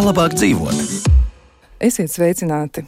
Kā labāk dzīvot? Esiet sveicināti!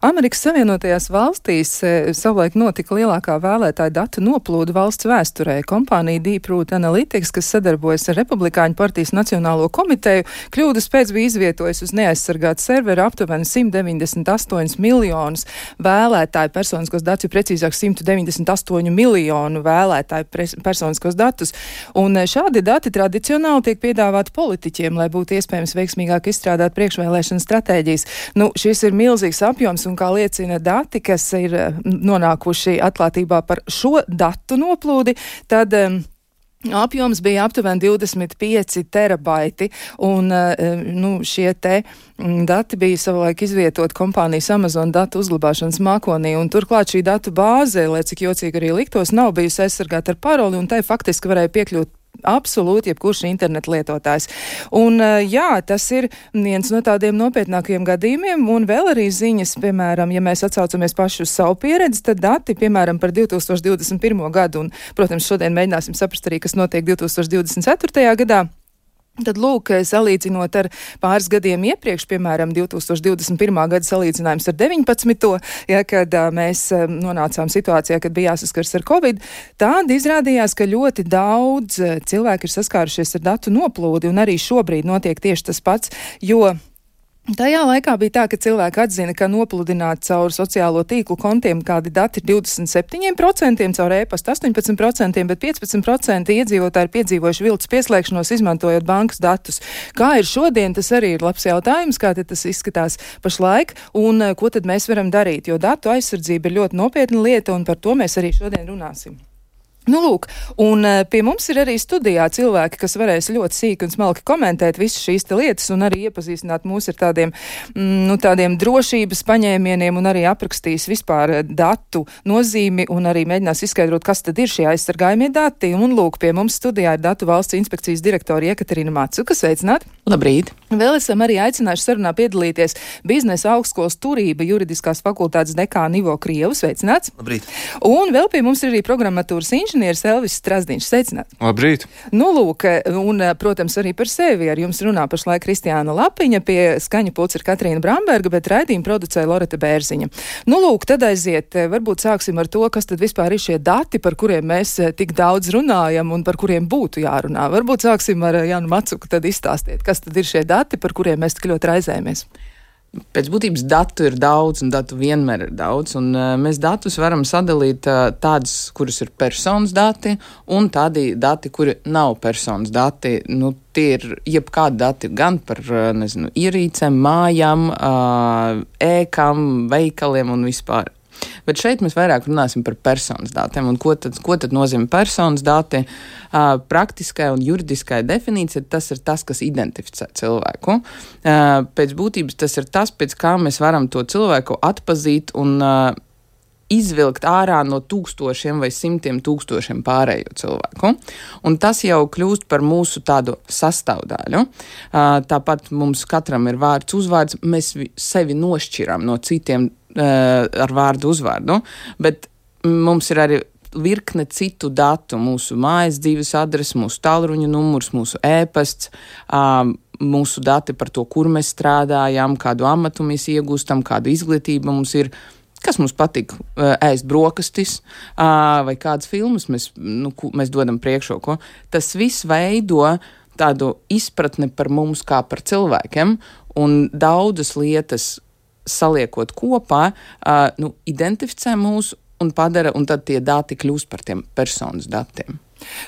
Amerikas Savienotajās valstīs savulaik notika lielākā vēlētāju datu noplūde valsts vēsturē. Kompānija Deep Root Analytics, kas sadarbojas ar Republikāņu partijas Nacionālo komiteju, kļūdas pēc bija izvietojusi uz neaizsargātu serveru aptuveni 198 miljonus vēlētāju personiskos datus, jo precīzāk 198 miljonu vēlētāju personiskos datus. Un šādi dati tradicionāli tiek piedāvāti politiķiem, lai būtu iespējams veiksmīgāk izstrādāt priekšvēlēšana stratēģijas. Šis ir milzīgs apjoms, un kā liecina dati, kas ir nonākuši atklātībā par šo datu noplūdi, tad apjoms bija aptuveni 25 terabaiti, un šie te dati bija savulaik izvietot kompānijas Amazon datu uzglabāšanas mākonī, un turklāt šī datu bāze, lai cik jocīgi arī liktos, nav bijusi aizsargāta ar paroli, un tai faktiski varēja piekļūt absolūti jebkurš internetu lietotājs. Un tas ir viens no tādiem nopietnākajiem gadījumiem, un vēl arī ziņas, piemēram, ja mēs atsaucamies paši uz savu pieredzi, tad dati, piemēram, par 2021. gadu, un, protams, šodien mēģināsim saprast arī, kas notiek 2024. gadā. Tad, lūk, salīdzinot ar pāris gadiem iepriekš, piemēram, 2021. gada salīdzinājums ar 19. Kad mēs nonācām situācijā, kad bija jāsaskars ar Covid, tad izrādījās, ka ļoti daudz cilvēki ir saskārušies ar datu noplūdi, un arī šobrīd notiek tieši tas pats, jo tajā laikā bija tā, ka cilvēki atzina, ka nopludināt caur sociālo tīklu kontiem kādi dati ir 27%, caur e-pastu 18%, bet 15% iedzīvotāji ir piedzīvojuši viltus pieslēgšanos, izmantojot bankas datus. Kā ir šodien, tas arī ir labs jautājums, kā tad tas izskatās pašlaik, un ko tad mēs varam darīt, jo datu aizsardzība ir ļoti nopietna lieta, un par to mēs arī šodien runāsim. Lūk, un pie mums ir arī studijā cilvēki, kas varēs ļoti sīki un smalki komentēt visas šīs lietas un arī iepazīstināt mūs ar tādiem drošības paņēmieniem un arī aprakstīs vispār datu nozīmi un arī mēģinās izskaidrot, kas tad ir šie aizsargājumie dati. Un lūk, pie mums studijā ir Datu valsts inspekcijas direktori Jekaterina Macuka. Sveicināti! Labrīt! Vēl esam arī aicinājuši sarunā piedalīties Biznesa augstskolas turība juridiskās fakultātes dekāna Ivo Krievu. Sveicināts! Labrīt! Un vēl pie mums ir arī programmatūras inženieris Elvis Strazdiņš. Sveicināts! Labrīt! Lūk, un, protams, arī par sevi ar jums runā pašlaik Kristiāna Lapiņa, pie skaņa pults ir Katrīna Bramberga, bet raidījumu producēja Loreta Bērziņa. Lūk, tad aiziet, varbūt sāksim ar to, kas tad vispār ir šie dati, par kuriem mēs tik daudz runājam un par kuriem būtu jārunā. Varbūt sāksim ar Janu Macuku, tad izstāstiet, kas tad ir šie dati, par kuriem mēs tik ļoti raizējamies. Pēc būtības datu ir daudz, un datu vienmēr ir daudz, un mēs datus varam sadalīt tādus, kurus ir personas dati, un tādi dati, kuri nav personas dati. Tie ir jebkādi dati gan par, ierīcēm, mājām, ēkām, veikaliem un vispār. Bet šeit mēs vairāk runāsim par personas datiem. Un ko tad nozīmē personas dati? Praktiskai un juridiskai definīcija tas ir tas, kas identificē cilvēku. Pēc būtības tas ir tas, pēc kā mēs varam to cilvēku atpazīt un izvilkt ārā no tūkstošiem vai simtiem tūkstošiem pārējo cilvēku. Un tas jau kļūst par mūsu tādu sastāvdaļu. Tāpat mums katram ir vārds, uzvārds, mēs sevi nošķiram no citiem ar vārdu uzvārdu, bet mums ir arī virkne citu datu, mūsu mājas dzīves adrese, mūsu tālruņa numurs, mūsu e-pasts, mūsu dati par to, kur mēs strādājam, kādu amatu mēs iegūstam, kādu izglītību mums ir, kas mums patīk ēst brokastis, vai kādas filmas mēs dodam priekšroku. Tas viss veido tādu izpratni par mums kā par cilvēkiem, un daudzas lietas saliekot kopā, identificē mūs un padara, un tad tie dati kļūst par tiem personas datiem.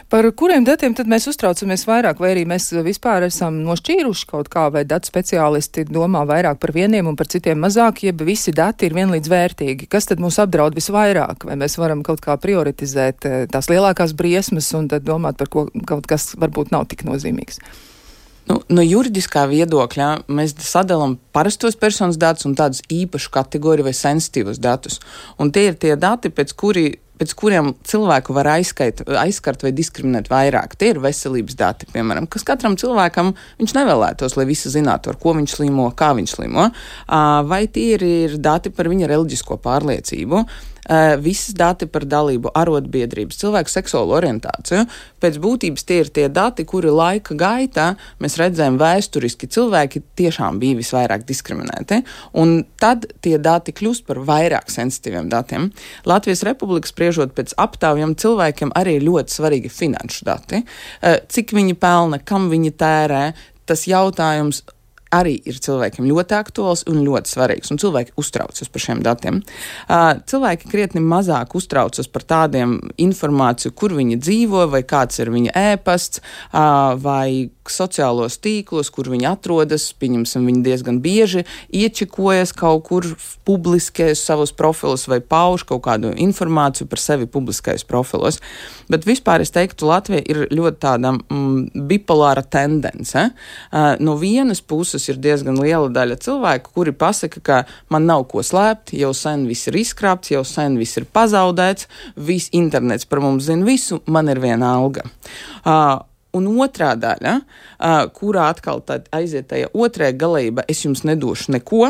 Par kuriem datiem tad mēs uztraucamies vairāk, vai arī mēs vispār esam nošķīruši kaut kā, vai datu speciālisti domā vairāk par vieniem un par citiem mazāk, jeb visi dati ir vienlīdz vērtīgi? Kas tad mūs apdraud visvairāk? Vai mēs varam kaut kā prioritizēt tās lielākās briesmas un tad domāt par kaut kas varbūt nav tik nozīmīgs? No juridiskā viedokļa mēs sadalām parastos personas datus un tādus īpašu kategoriju vai sensitīvus datus. Un tie ir tie dati, pēc kuri pēc kuriem cilvēku var aizskart vai diskriminēt vairāk. Tie ir veselības dati, piemēram, kas katram cilvēkam viņš nevēlētos, lai visi zinātu, ar ko viņš slimo, kā viņš slimo. Vai tie ir dati par viņa reliģisko pārliecību. Visas dati par dalību arotbiedrības, cilvēku seksuālo orientāciju. Pēc būtības tie ir tie dati, kuri laika gaitā mēs redzējām vēsturiski cilvēki tiešām bija visvairāk diskriminēti, un tad tie dati kļūst par vairāk sensitīviem datiem. Latvijas Republika spriežot pēc aptaujām cilvēkiem arī ir ļoti svarīgi finanšu dati. Cik viņi pelna, kam viņi tērē, tas jautājums arī ir cilvēkiem ļoti aktuāls un ļoti svarīgs, un cilvēki uztraucas par šiem datiem. Cilvēki krietni mazāk uztraucas par tādiem informāciju, kur viņi dzīvo, vai kāds ir viņa ēpasts, vai sociālos tīklos, kur viņi atrodas, pieņemsim, viņi diezgan bieži iečikojas kaut kur publiskajos savus profilus vai pauž kaut kādu informāciju par sevi publiskajos profilos. Bet vispār es teiktu, Latvija ir ļoti tāda bipolāra tendence. No vienas puses ir diezgan liela daļa cilvēku, kuri pasaka, ka man nav ko slēpt, jau sen viss ir izkrāpts, jau sen viss ir pazaudēts, viss internets par mums zina visu, man ir viena alga. Un otrā daļa, kurā atkal aiziet tajā otrajā galība, es jums nedošu neko,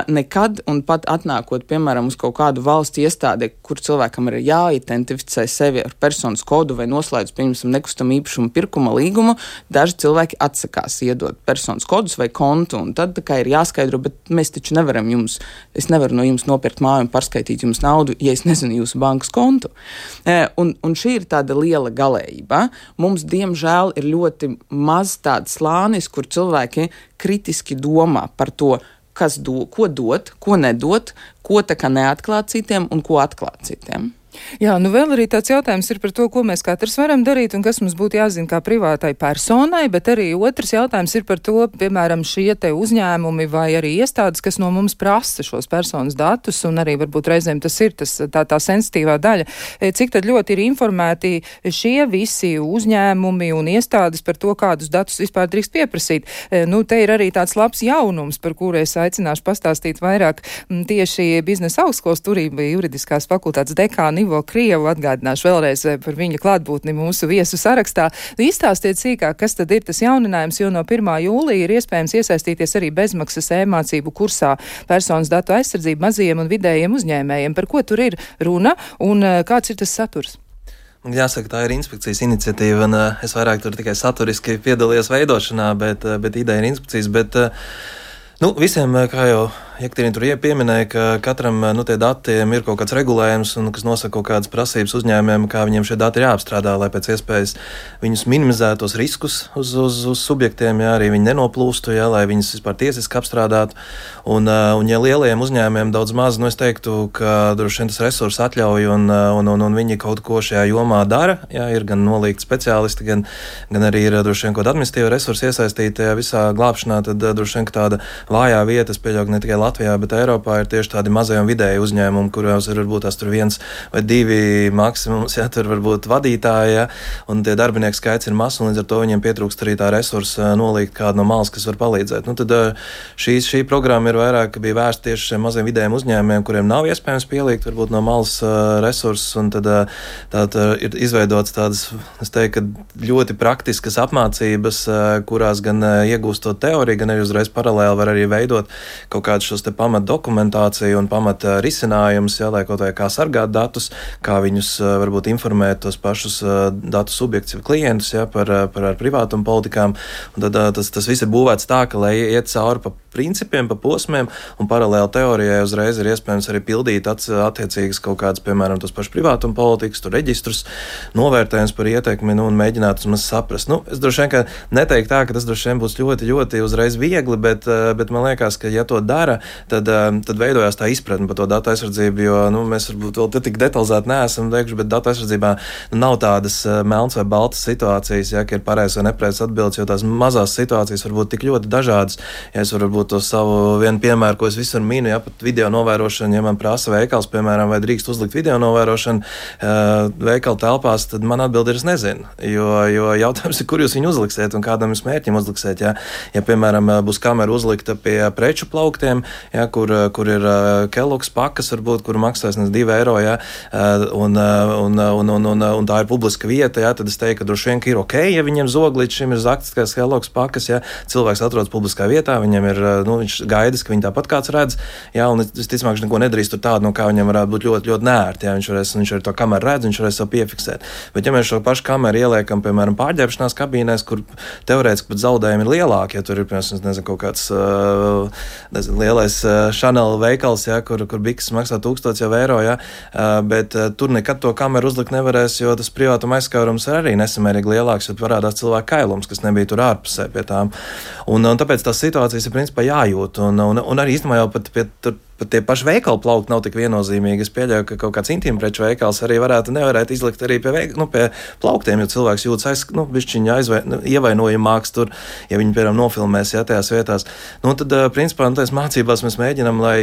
nekad, un pat atnākot, piemēram, uz kaut kādu valsts iestādi, kur cilvēkam ir jāidentificē sevi ar personas kodu vai noslēdz, pieņemsim, nekustamā īpašuma pirkuma līgumu, daži cilvēki atsakās iedot personas kodus vai kontu, un tad tā kā ir jāskaidro, bet mēs taču nevaram es nevaru no jums nopirkt māju un pārskaitīt jums naudu, ja es nezinu jūsu bankas kontu. Un šī ir tāda liela galējība. Mums, diemžēl, ir ļoti maz tāds slānis, kur cilvēki kritiski domā par to, ko dot, ko nedot, ko tā kā neatklāt citiem un ko atklāt citiem. Jā, vēl arī tāds jautājums ir par to, ko mēs katrs varam darīt un kas mums būtu jāzina kā privātai personai, bet arī otrs jautājums ir par to, piemēram, šie te uzņēmumi vai arī iestādes, kas no mums prasa šos personas datus, un arī varbūt reizēm tas ir tā sensitīvā daļa. Cik tad ļoti ir informēti šie visi uzņēmumi un iestādes par to, kādus datus vispār drīkst pieprasīt? Te ir arī tāds labs jaunums, par kuru es aicināšu pastāstīt vairāk tieši biznesa augstskolas turība juridiskās fakultātes dekāni Ivo Krievu, atgādināšu vēlreiz par viņa klātbūtni mūsu viesu sarakstā. Izstāstiet sīkāk, kas tad ir tas jauninājums, jo no 1. jūlija ir iespējams iesaistīties arī bezmaksas e-mācību kursā personas datu aizsardzību mazajiem un vidējiem uzņēmējiem. Par ko tur ir runa un kāds ir tas saturs? Jāsaka, tā ir inspekcijas iniciatīva, un es vairāk tur tikai saturiski piedalījos veidošanā, bet ideja ir inspekcijas, visiem, kā jau Jekaterina tur pieminēja, ka katram tie datiem ir kaut kāds regulējums, un kas nosaka kaut kādas prasības uzņēmējiem, kā viņiem šie dati ir jāapstrādā, lai pēc iespējas viņus minimizētos riskus uz subjektiem, arī viņi nenoplūstu, lai viņus vispār tiesiski apstrādātu. Un ja lielajiem uzņēmējiem daudz maz, es teiktu, ka droši vien tas resurss atļauj, un viņi kaut ko šajā jomā dara. Ir gan nolīgti speciālisti, gan arī ir droši vien kaut administratīva resursi iesaistīti visā glābšanā, tad droši vien tāda vājā vieta, es pieļauju, ne tikai Latvijā, bet Eiropā ir tieši tādi mazie un vidēji uzņēmumi, kurās ir varbūt tās tur 1 vai 2 maksimums, tur varbūt vadītāji, un tie darbinieku skaits ir mazs, un līdz ar to viņiem pietrūkst arī tā resursa nolīgt kādu no malas, kas var palīdzēt. Tad šī programma ir vairāk bija vērsta tieši šiem maziem vidējiem uzņēmumiem, kuriem nav iespējams pielikt varbūt no malas resursus, un tad ir izveidots tādas, es teiktu, ļoti praktiskas apmācības, kurās gan iegūstot teoriju, gan arī uzreiz paralēli var arī veidot kaut kādus šos te pamat dokumentāciju un pamat risinājumus, lai kaut vai kā sargāt datus, kā viņus varbūt informēt tos pašus datu subjektus vai klientus par privātuma politikām. Un tad tas viss ir būvēts tā, ka, lai iet cauri pa principiem, pa posmiem, un paralēli teorijai uzreiz ir iespējams arī pildīt attiecīgas kaut kādas, piemēram, tos pašus privātuma politikas, tur reģistrus, novērtējums par ietekmi, un mēģināt uzmaz saprast. Es droši vien, ka neteiktu tā, ka tas droši vien būs ļoti, ļoti uzreiz viegli, bet man liekas, ka ja to dara, tad veidojās tā izpratne par to datu aizsardzību, jo mēs varbūt vēl tik detalizēti neesam teikuši, bet datu aizsardzībā nav tādas melns vai baltas situācijas, ka ir pareizs vai nepareizs atbildes, jo tās mazās situācijas var būt tik ļoti dažādas. Ja es varu būt varbūt to savu vienu piemēru, ko es visur minu, ja pat video novērošana, ja man prasa veikals, piemēram, vai drīkst uzlikt video novērošanu veikala telpās, tad man atbildi ir, es nezinu, jo jautājums ir, kur jūs viņu uzliksiet un kādam jūs mērķim uzliksiet, ja, piemēram, būs kamera uzlikta pie preču plauktiem, ja, kur ir Kellogg's pakas, varbūt, kur maksās 2 eiro, ja, un tā ir publiska vieta, ja, tad es teiktu, ka droši vien ir ok, ja viņiem zog līdz šim ir zakts, kā Kellogg's pakas, ja cilvēks atrodas publiskā vietā, viņam ir, viņš gaidis, ka viņi tāpat kāds redz, ja, un visticamāk, viņš neko nedarīs tur tādu, no kā viņam varētu būt ļoti, ļoti nērti, ja, viņš ar to kameru redz, viņš varēs savu piefiksēt. Bet ja mēs šo pašu kameru ieliekam, piemēram, pārģērbšanās kabīnēs, kur teorētiski pat zaudējumi ir lielāki, ja tur ir, piemēram, nezinu, kaut kāds lielais Chanel veikals, ja, kur bikses maksā 1000 eiro, ja, bet tur nekad to kameru uzlikt nevarēs, jo tas privātuma aizskārums ir arī nesamērīgi lielāks, jo parādās cilvēku kailums, kas nebija tur ārpusē pie tām. Un tāpēc tās situācijas ir principā jājūt, un arī īstenībā jau pat tie paši veikali plaukti nav tik viennozīmīgi. Es pieļauju, ka kaut kāds intīmpreču veikals arī nevarētu izlikt arī pie plauktiem, jo cilvēks jūtas bišķiņa ievainojamāks tur, ja viņi, piemēram, nofilmēs, ja, tajās vietās. Tad, principā, tās mācībās mēs mēģinam, lai,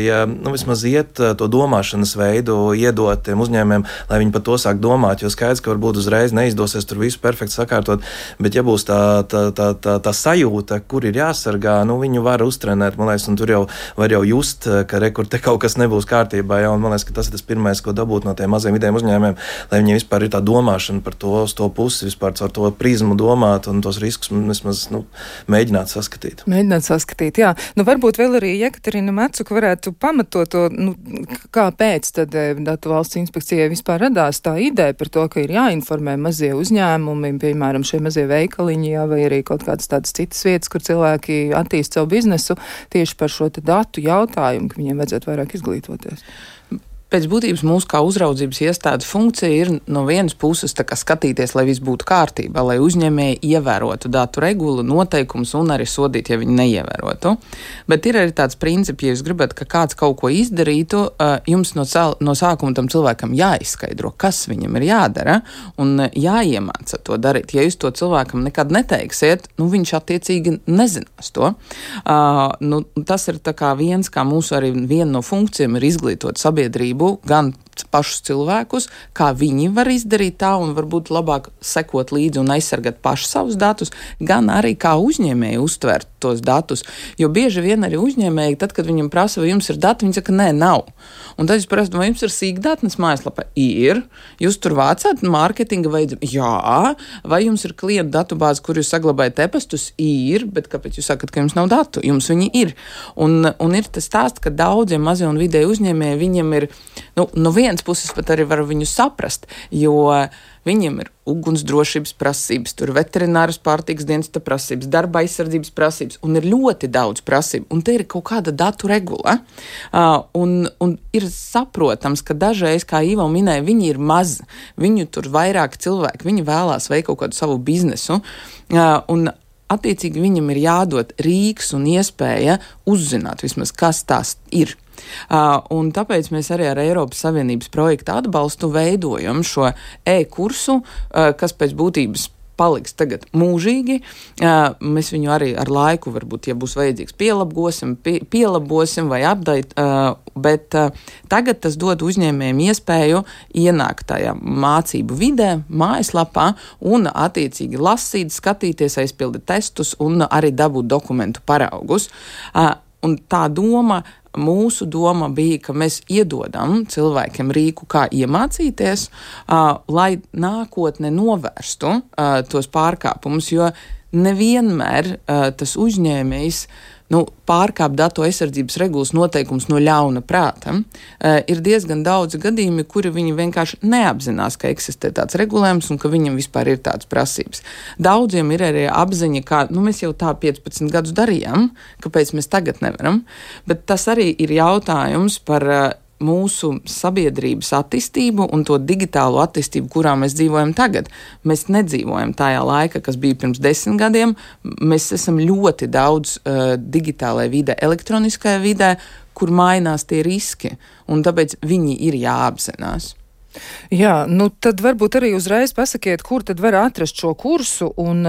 vismaz iet to domāšanas veidu, iedot tiem uzņēmiem, lai viņi par to sāk domāt, jo skaidrs, ka varbūt uzreiz neizdosies tur visu perfekti sakārtot, bet ja būs tā sajūta, kur ir jāsargā, viņu var uztrenēt, man liekas, un tur jau var just, ka kur te kaut kas nebūs kārtībā, ja, un man liekas, ka tas ir tas pirmais, ko dabūt no tiem maziem vidējiem uzņēmumiem, lai viņiem vispār ir tā domāšana par to pusi, vispār ar to prizmu domāt un tos riskus vismaz, mēģināt saskatīt. Mēģināt saskatīt, jā. Varbūt vēl arī Jekaterina Macuka varētu pamatot to, kāpēc tad Datu valsts inspekcijai vispār radās tā ideja par to, ka ir jāinformē mazie uzņēmumi, piemēram, šie mazie veikaliņi, jā, vai arī kaut kādas tādas citas vietas, kur cilvēki attīst savu biznesu tieši par šo datu jautājumu, ka viņiem vajadzētu vairāk izglītoties. Pēc būtības mūsu kā uzraudzības iestādes funkcija ir no vienas puses skatīties, lai viss būtu kārtībā, lai uzņēmēji ievērotu datu regulu, noteikumus un arī sodīt, ja viņi neievērotu. Bet ir arī tāds princips, ja jūs gribat, ka kāds kaut ko izdarītu, jums no sākuma tam cilvēkam jāizskaidro, kas viņam ir jādara un jāiemāca to darīt. Ja jūs to cilvēkam nekad neteiksiet, viņš attiecīgi nezinās to. Tas ir viens, kā mūsu arī viena no funkcijām ir izglītot sabiedrību, gan pašus cilvēkus, kā viņi var izdarīt tā un varbūt labāk sekot līdzi un aizsargāt paši savus datus, gan arī kā uzņēmēji uztvert tos datus. Jo bieži vien arī uzņēmēji, tad, kad viņam prasa, vai jums ir dati, viņi saka, nē, nav. Un tad jūs prasat, vai jums ir sīkdatnes mājaslapā? Ir. Jūs tur vācāt mārketinga vajadzību? Jā. Vai jums ir klientu datubāze, kur jūs saglabājat e-pastus? Ir. Bet kāpēc jūs sakat, ka jums nav datu? Jums viņi ir. Un ir tas stāsts, ka daudziem mazie un vidēji uzņēmēji viņiem ir, no vienas puses pat arī var viņu saprast, jo viņiem ir ugunsdrošības prasības, tur veterināras pārtikas dienesta prasības, darba aizsardzības prasības, un ir ļoti daudz prasību, un te ir kaut kāda datu regula. Un ir saprotams, ka dažreiz, kā Ivo minēja, viņi ir mazi, viņu tur vairāk cilvēki, viņi vēlās veikt kaut kādu savu biznesu, un attiecīgi viņam ir jādod rīks un iespēja uzzināt vismaz, kas tās ir. Un tāpēc mēs arī ar Eiropas Savienības projekta atbalstu veidojam šo e-kursu, kas pēc būtības paliks tagad mūžīgi. Mēs viņu arī ar laiku, varbūt, ja būs vajadzīgs, pielabosim vai update, bet tagad tas dod uzņēmējiem iespēju ienākt tajā mācību vidē, mājaslapā un attiecīgi lasīt, skatīties, aizpildīt testus un arī dabūt dokumentu paraugus. Un tā mūsu doma bija, ka mēs iedodam cilvēkiem rīku, kā iemācīties, lai nākotne novērstu tos pārkāpumus, jo nevienmēr tas uzņēmējs pārkāp datu aizsardzības regulas noteikums no ļauna prāta. Ir diezgan daudz gadījumi, kuri viņi vienkārši neapzinās, ka eksistē tāds regulējums un ka viņam vispār ir tāds prasības. Daudziem ir arī apziņa, ka mēs jau tā 15 gadus darījām, kāpēc mēs tagad nevaram, bet tas arī ir jautājums par mūsu sabiedrības attīstību un to digitālo attīstību, kurā mēs dzīvojam tagad. Mēs nedzīvojam tajā laika, kas bija pirms 10 gadiem. Mēs esam ļoti daudz digitālajā vidē, elektroniskajā vidē, kur mainās tie riski, un tāpēc viņi ir jāapzinās. Jā, tad varbūt arī uzreiz pasakiet, kur tad var atrast šo kursu un,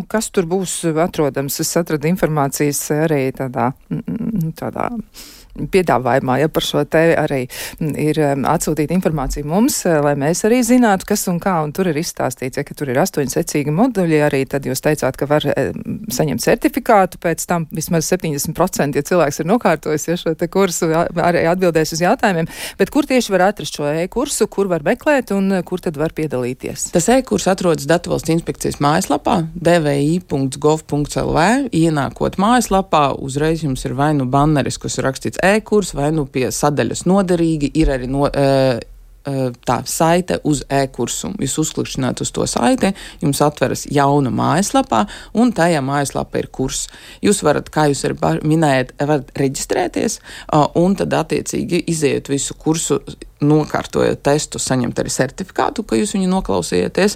kas tur būs atrodams. Es atradu informācijas arī tādā piedāvājumā, par šo te arī ir atsūtīta informācija mums, lai mēs arī zinātu, kas un kā, un tur ir izstāstīts, ka tur ir 8 secīgi moduļi, arī tad jūs teicāt, ka var saņemt certifikātu, pēc tam vismaz 70%, ja cilvēks ir nokārtojis, šo te kursu, arī atbildēs uz jautājumiem, bet kur tieši var atrast šo e-kursu, kur var meklēt un kur tad var piedalīties? Tas e-kurs atrodas Datu valsts inspekcijas mājaslapā dvi.gov.lv, ienākot mājaslapā, uzreiz jums ir vai nu banneris, kas ir rakstīts e-kurs, vai nu pie sadaļas noderīgi, ir arī tā saite uz e-kursu. Jūs uzklikšķināt uz to saiti, jums atveras jauna mājaslapā, un tajā mājaslapā ir kurs. Jūs varat, kā jūs arī minējat, varat reģistrēties, un tad attiecīgi iziet visu kursu, nokārtojot testu, saņemt arī certifikātu, ka jūs viņu noklausījāties,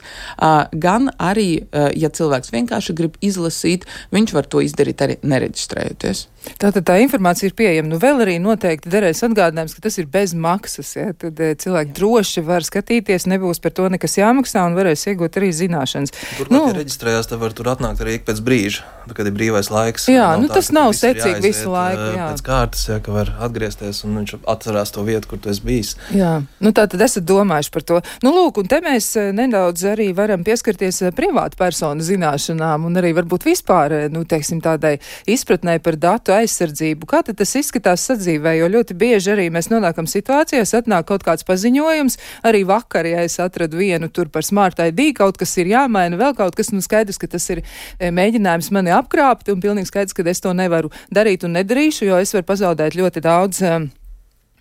gan arī, ja cilvēks vienkārši grib izlasīt, viņš var to izdarīt arī nereģistrējoties. Tātad tā informācija ir pieejama. Vēl arī noteikti derēs atgādinājums, ka tas ir bez maksas, tad cilvēki droši var skatīties, nebūs par to nekas jāmaksā un varēs iegūt arī zināšanas. Turklāt, ja reģistrējās, tad var tur atnākt arī ik pēc brīža, kad ir brīvais laiks. Jā, tas nav secīgi visu laiku. Jā. Pēc kārtas, ka var atgriezties un viņš atcerās to vietu, kur tu esi bijis. Jā, tā tad esat domājuši par to. Lūk, un te mēs nedaudz arī varam pieskarties privātu personu zināšanām un arī varbūt vispār, teiksim, tādai izpratnē par datu aizsardzību. Kā tad tas izskatās sadzīvē, jo ļoti bieži arī mēs nonākam situācijās, atnāk kaut kāds paziņojums, arī vakar, ja es atradu vienu tur par Smart ID, kaut kas ir jāmaina, vēl kaut kas, skaidrs, ka tas ir mēģinājums mani apkrāpt, un pilnīgi skaidrs, ka es to nevaru darīt un nedarīšu, jo es varu pazaudēt ļoti daudz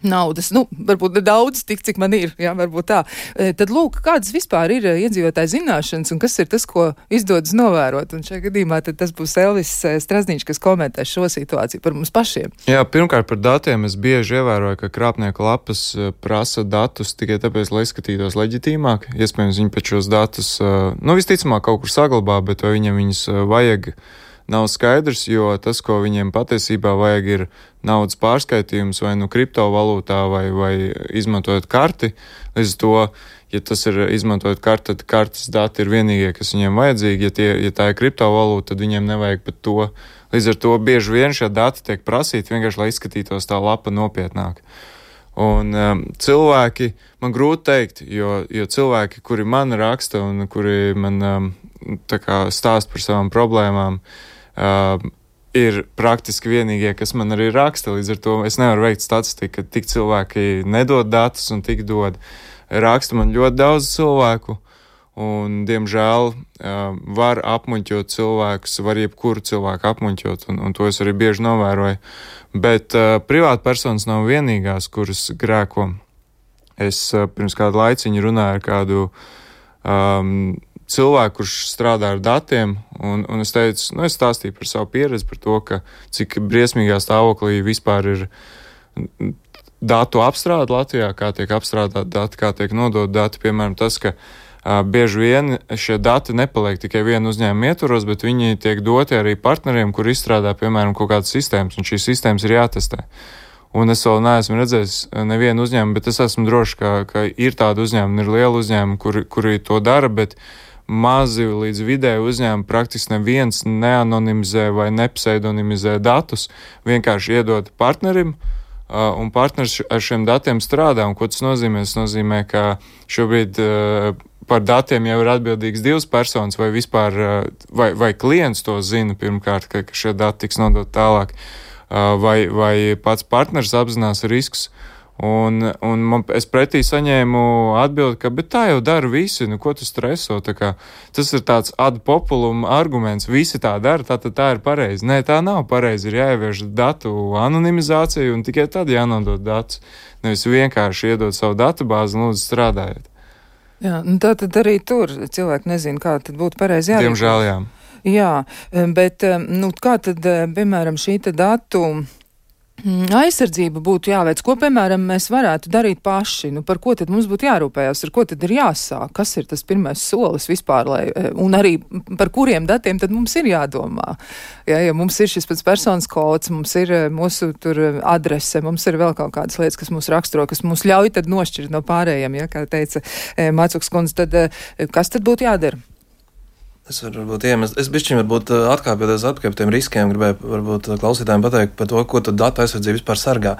naudas, varbūt nedaudz, tik cik man ir, varbūt tā. Tad lūk, kādas vispār ir iedzīvotāju zināšanas un kas ir tas, ko izdodas novērot. Un šajā gadījumā tad tas būs Elvis Strazdniņš, kas komentē šo situāciju par mums pašiem. Jā, pirmkārt par datiem es bieži ievēroju, ka krāpnieku lapas prasa datus tikai tāpēc, lai izskatītos leģitīmāk. Iespējams, viņi pēc šos datus, visticamāk kaut kur saglabā, bet vai viņam viņus vajag, nav skaidrs, jo tas, ko viņiem patiesībā vajag, ir naudas pārskaitījums vai kriptovalūtā vai izmantojot karti. Līdz to, ja tas ir izmantojot karti, tad kartes dati ir vienīgie, kas viņiem vajadzīgi. Ja tā ir kriptovalūta, tad viņiem nevajag pat to. Līdz ar to bieži vien šie dati tiek prasīti vienkārši, lai izskatītos tā lapa nopietnāk. Un cilvēki, man grūti teikt, jo cilvēki, kuri man raksta un kuri man stāst par savām problēmām, ir praktiski vienīgie, kas man arī raksta. Līdz ar to es nevaru veikt statistiku, ka tik cilvēki nedod datus un tik dod. Raksta man ļoti daudz cilvēku, un, diemžēl, var apmuļķot cilvēkus, var jebkuru cilvēku apmuļķot, un to es arī bieži novēroju. Bet privāta personas nav vienīgās, kuras grēko. Es pirms kādu laiciņu runāju ar kādu cilvēku, kurš strādā ar datiem, un es teicu, es stāstīju par savu pieredzi, par to, ka cik briesmīgā stāvoklī vispār ir datu apstrāde Latvijā, kā tiek apstrādāti dati, kā tiek nodot dati. Piemēram, tas, ka bieži vien šie dati nepaliek tikai vienu uzņēmumu ietvaros, bet viņi tiek doti arī partneriem, kur izstrādā, piemēram, kaut kādas sistēmas, un šīs sistēmas ir jātestē. Un es vēl neesmu redzējis nevienu uzņēmumu, bet es esmu droši, ka ir tādi uzņēmumi, ir lieli uzņēmumi, kuri to dara, bet mazi līdz vidēji uzņēmumi praktiski neviens neanonimizē vai nepseidonimizē datus, vienkārši iedod partnerim, un partners ar šiem datiem strādā. Un ko tas nozīmē? Tas nozīmē, ka šobrīd par datiem jau ir atbildīgs divas personas, vai vispār, vai klients to zina pirmkārt, ka šie dati tiks nodot tālāk, vai pats partners apzinās riskus. Un es pretī saņēmu atbildi, ka bet tā jau dara visi, ko tu streso, tas ir tāds ad populum arguments, visi tā dara, tā ir pareizi. Nē, tā nav pareizi, ir jāievieš datu anonimizācija un tikai tad jānodod datus, nevis vienkārši iedot savu datubāzi un lūdzu strādājiet. Jā, tā tad arī tur cilvēki nezina, kā tad būtu pareizi jārīkojas. Diemžēl, jā. Jā, bet kā tad, piemēram, šī datu aizsardzība būtu jāveic, ko, piemēram, mēs varētu darīt paši, par ko tad mums būtu jārūpējās, ar ko tad ir jāsāk, kas ir tas pirmais solis vispār, un arī par kuriem datiem tad mums ir jādomā. Ja mums ir šis pats personas kods, mums ir mūsu tur adrese, mums ir vēl kaut kādas lietas, kas mūs raksturo, kas mūs ļauj tad nošķirt no pārējiem, kā teica Macuks kundze, tad kas tad būtu jādara? Es bišķiņ varbūt atkāpjoties atpakaļ tiem riskiem, gribēju varbūt klausītājiem pateikt par to, ko tad datu aizsardzība vispār sargā.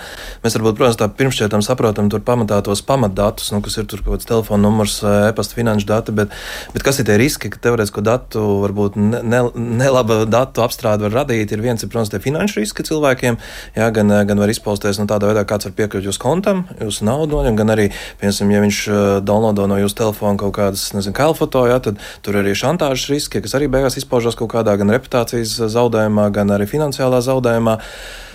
Mēs varbūt, protams, tā pirmšķietam saprotam tur pamatā tos pamatdatus, kas ir tur kaut kāds telefona numurs, e-pasta finanšu dati, bet kas ir tie riski, ka teorētisko datu varbūt nelaba datu apstrāde var radīt, ir protams, tie finanšu riski cilvēkiem, jā, gan var izpausties no tādā veidā, kāds var piekļūt jūsu kontam, jūsu naudu noņem, gan arī, piemēram, ja viņš downloado no jūsu telefona kaut kādas, kailfoto, jā, tad tur arī šantāžas riski, kas arī beigās izpaužās kaut kādā gan reputācijas zaudējumā, gan arī finansiālā zaudējumā.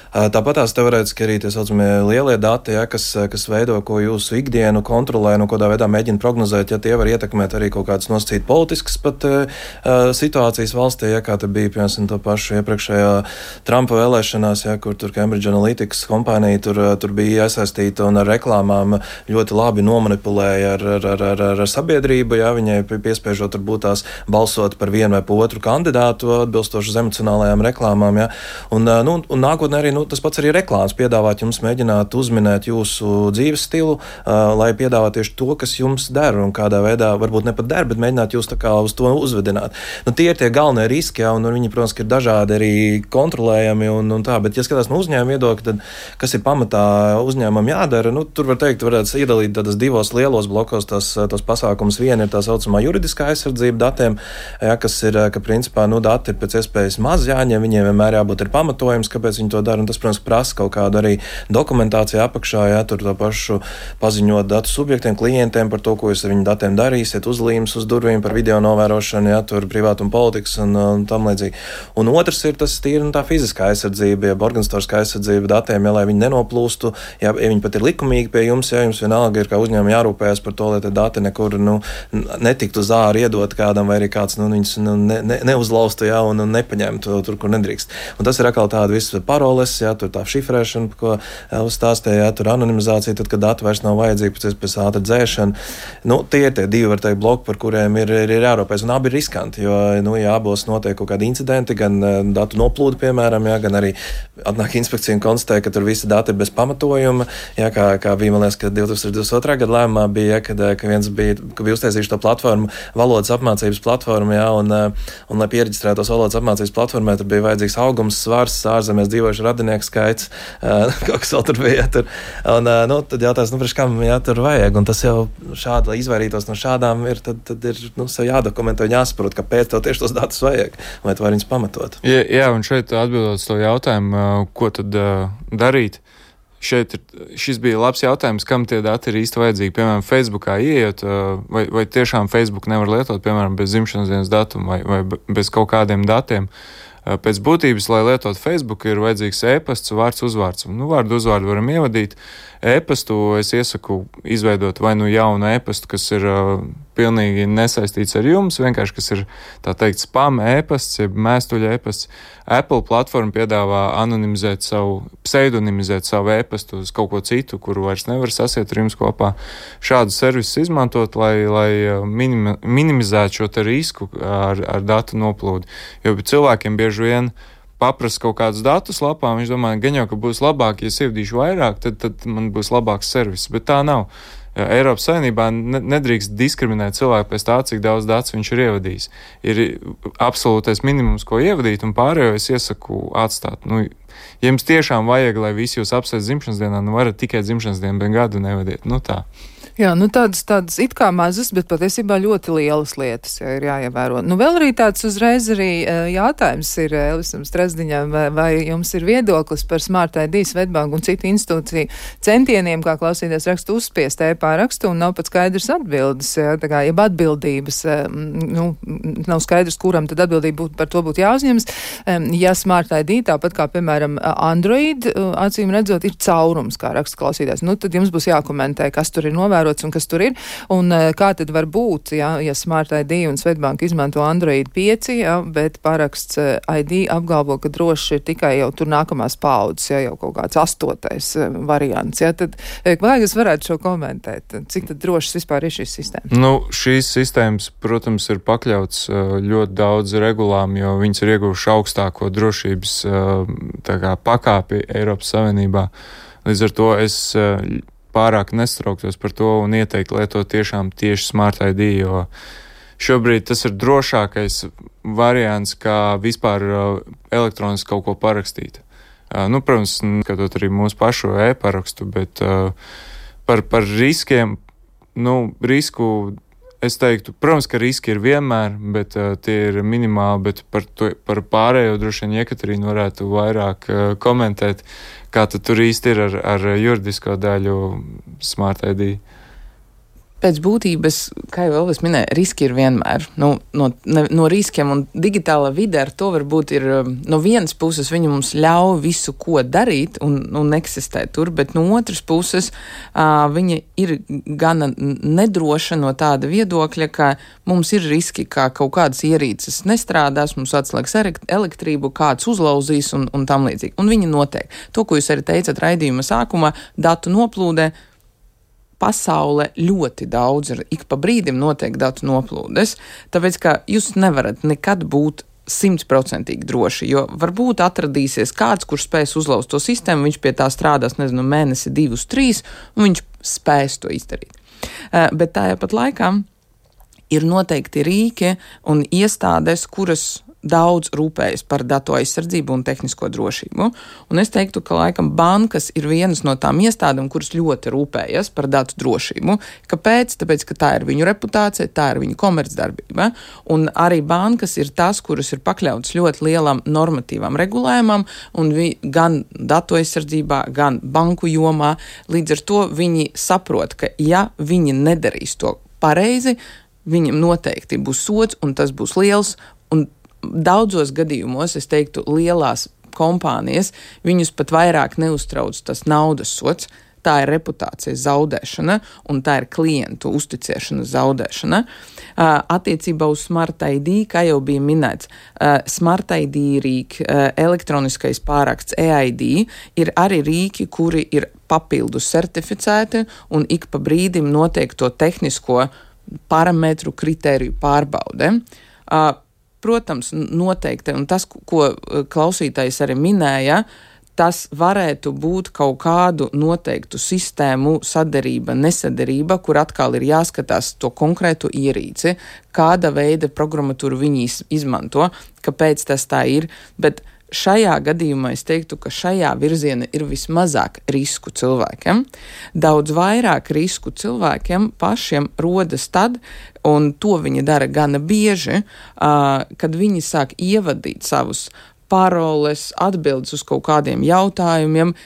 Tāpat tās teorētiski arī tie saucamie lielie dati, kas veido, ko jūsu ikdienu kontrolē, kādā veidā mēģina prognozēt, tie var ietekmēt arī kaut kādas nosacīt politiskas pat situācijas valstī, kā te bija, piemēram, to pašu iepriekšējā Trumpa vēlēšanās, kur tur Cambridge Analytics kompānija tur bija iesaistīta un ar reklāmām ļoti labi nomanipulēja ar sabiedrību, viņai piespiežot varbūt tās balsot par vienu vai pa otru kandidātu atbilstoši emocionālajām reklāmām, un nākotnē arī tas pats arī reklāmas piedāvāt jums mēģināt uzminēt jūsu dzīves stilu, lai piedāvāt tieši to, kas jums der un kādā veidā, varbūt ne pat der, bet mēģināt jūs tā kā uz to uzvedināt. Tie ir tie galvenie riski, un viņi, protams, ir dažādi arī kontrolējami un tā, bet ja skatās no uzņēmuma viedokļa, tad kas ir pamatā uzņēmumam jādara, tur var teikt, varētu iedalīt tādas divos lielos blokos tos pasākumus. Viena ir tā saucamā juridiskā aizsardzība datiem, kas ir, ka principā, dati ir pēc iespējas maz jāņem, viņiem vienmēr jābūt ir pamatojums, kāpēc viņi to dara. Tas, protams, prasa kaut kādu arī dokumentāciju apakšā, tur to pašu paziņot datu subjektiem, klientiem par to, ko jūs ar viņu datiem darīsiet, uzlīmes uz durvīm par video novērošanu, tur privātuma politikas un tam līdzīgi. Un otrs ir tas tīri tā fiziskā aizsardzība, organizatoriskā aizsardzība datiem, lai viņi nenoplūstu, ja viņi pat ir likumīgi pie jums, jums vienalga ir kā uzņēmumi jārūpējas par to, lai tie dati nekur netiktu uz āru iedot kādam, vai arī kāds viņus neuzlaustu, un nepaņemtu tur, kur nedrīkst. Un tas ir atkal tāda visa paroles, tur tā šifrēšana, ko uzstāstīja, tur anonimizācija, tad, kad dati vairs nav vajadzīgi, pēc ātra dzēšana. Tie ir tie divi, var teikt, bloki, par kuriem ir jārūpējas, un abi ir riskanti, jo, ja abos notiek kaut kādi incidenti, gan datu noplūdi, piemēram, gan arī atnāk inspekcija un konstatē, ka tur visi dati ir bez pamatojuma, kā bija, man liekas, ka 2022. Gada lēmumā bija, ka bija uztaisījuši to platformu, valodas apmācības platformu, un lai piereģistrētos valodas apmācības platformē, tur bija vajadzīgs augums, svars, ārzemēs dzīvojuši radinieku skaits, kaut kas vēl tur bija. Tad jautājums, kam tur vajag, un tas jau šādi, lai izvairītos no šādām, tad ir sev jādokumentē un jāsaprot, kāpēc tev tieši tos datus vajag, vai tu vari viņus pamatot. Jā, un šeit atbildot to jautājumu, ko tad darīt, šis bija labs jautājums, kam tie dati ir īsti vajadzīgi. Piemēram, Facebookā ieiet, vai tiešām Facebook nevar lietot, piemēram, bez dzimšanas dienas datuma vai bez kaut kādiem datiem. Pēc būtības, lai lietot Facebook, ir vajadzīgs e-pasts, vārds, uzvārds. Vārdu uzvārdu varam ievadīt. E-pastu es iesaku izveidot vai jaunu e-pastu, kas ir pilnīgi nesaistīts ar jums, vienkārši, kas ir, tā teikt, spam e-pasts, jeb mēstuļa e-pasts. Apple platforma piedāvā pseidonimizēt savu e-pastu uz kaut ko citu, kuru vairs nevar sasiet ar jums kopā. Šādu servisu izmantot, lai minimizētu šo te risku ar datu noplūdi. Jo cilvēkiem bieži vien paprasa kaut kādus datus lapā, viņš domā, gan jau, ka būs labāk, ja es ievadīšu vairāk, tad man būs labāks servis, bet tā nav. Eiropas Savienībā nedrīkst diskriminēt cilvēku pēc tā, cik daudz datus viņš ir ievadījis. Ir absolūtais minimums, ko ievadīt, un pārējo es iesaku atstāt. Ja jums tiešām vajag, lai visi jūs apsveic dzimšanas dienā, varat tikai dzimšanas dienu, bet gadu nevadiet. Tā. Jā, tādas it kā mazas, bet patiesībā ļoti lielas lietas ir jāievēro. Vēl arī tāds uzreiz arī jautājums ir Elvisam Strasdiņam, vai jums ir viedoklis par Smart ID, Svetbanku un citu institūciju centieniem, kā klausīties rakstu uzspiest e-pārakstu, un nav pat skaidrs atbildes, jeb atbildības, nav skaidrs, kuram tad atbildība par to būtu jāuzņemas. Ja Smart ID, tāpat kā, piemēram, Android, acīm redzot, ir caurums, kā raksta klausītājs, tad jums būs jākomentē, kas tur ir novērojams, novērots un kas tur ir. Un kā tad var būt, ja Smart ID un Svetbank izmanto Android 5, bet paraksts ID apgalvo, ka droši ir tikai jau tur nākamās paudzes, jau kaut kāds 8. variants. Tad vai jūs varētu šo komentēt? Cik tad drošas vispār ir šīs sistēmas? Šīs sistēmas, protams, ir pakļauts ļoti daudz regulām, jo viņas ir ieguvuši augstāko drošības pakāpi Eiropas Savienībā. Līdz ar to es pārāk nestrauktos par to un ieteiktu lietot tiešām tieši Smart ID, jo šobrīd tas ir drošākais variants, kā vispār elektroniski kaut ko parakstīt. Protams, skatot arī mūsu pašu e-parakstu, bet par riskiem, risku es teiktu, protams, ka riski ir vienmēr, bet tie ir minimāli, bet par pārējo droši vien Jekaterīna varētu vairāk komentēt, kā tad tur īsti ir ar juridisko daļu Smart ID. Pēc būtības, kā jau Elvis minēja, riski ir vienmēr. No riskiem un digitālā vide ar to varbūt ir, no vienas puses viņi mums ļauj visu, ko darīt un eksistēt tur, bet no otras puses viņa ir gana nedroša no tāda viedokļa, ka mums ir riski, ka kaut kādas ierīces nestrādās, mums atslēgs elektrību, kāds uzlauzīs un tam līdzīgi. Un viņi notiek. To, ko jūs arī teicat raidījuma sākumā, datu noplūdē, pasaule ļoti daudz ir, ik pa brīdim notiek datu noplūdes, tāpēc, ka jūs nevarat nekad būt 100% droši, jo varbūt atradīsies kāds, kurš spēs uzlauzt to sistēmu, viņš pie tā strādās, mēnesi, 2, 3, un viņš spēs to izdarīt. Bet tajā pat laikā ir noteikti rīki un iestādes, kuras daudz rūpējas par datu aizsardzību un tehnisko drošību. Un es teiktu, ka laikam bankas ir vienas no tām iestādēm, kuras ļoti rūpējas par datu drošību. Kāpēc? Tāpēc, ka tā ir viņu reputācija, tā ir viņu komercdarbība. Un arī bankas ir tās, kuras ir pakļautas ļoti lielam normatīvam regulējumam, un gan datu aizsardzībā, gan banku jomā. Līdz ar to viņi saprot, ka ja viņi nedarīs to pareizi, viņam noteikti būs sods, un tas būs liels, un daudzos gadījumos, es teiktu, lielās kompānijas, viņus pat vairāk neuztrauc tas naudas sods, tā ir reputācijas zaudēšana un tā ir klientu uzticēšanas zaudēšana. Attiecībā uz Smart ID, kā jau bija minēts, Smart ID rīki, elektroniskais pāraksts EID ir arī rīki, kuri ir papildus certificēti un ik pa brīdim notiek to tehnisko parametru kritēriju pārbaude. Protams, noteikti, un tas, ko klausītājs arī minēja, tas varētu būt kaut kādu noteiktu sistēmu sadarība, nesadarība, kur atkal ir jāskatās to konkrētu ierīci, kāda veida programmatūru viņi izmanto, kāpēc tas tā ir, bet šajā gadījumā es teiktu, ka šajā virziena ir vismazāk risku cilvēkiem. Daudz vairāk risku cilvēkiem pašiem rodas tad, un to viņi dara gana bieži, kad viņi sāk ievadīt savus paroles, atbildes uz kaut kādiem jautājumiem,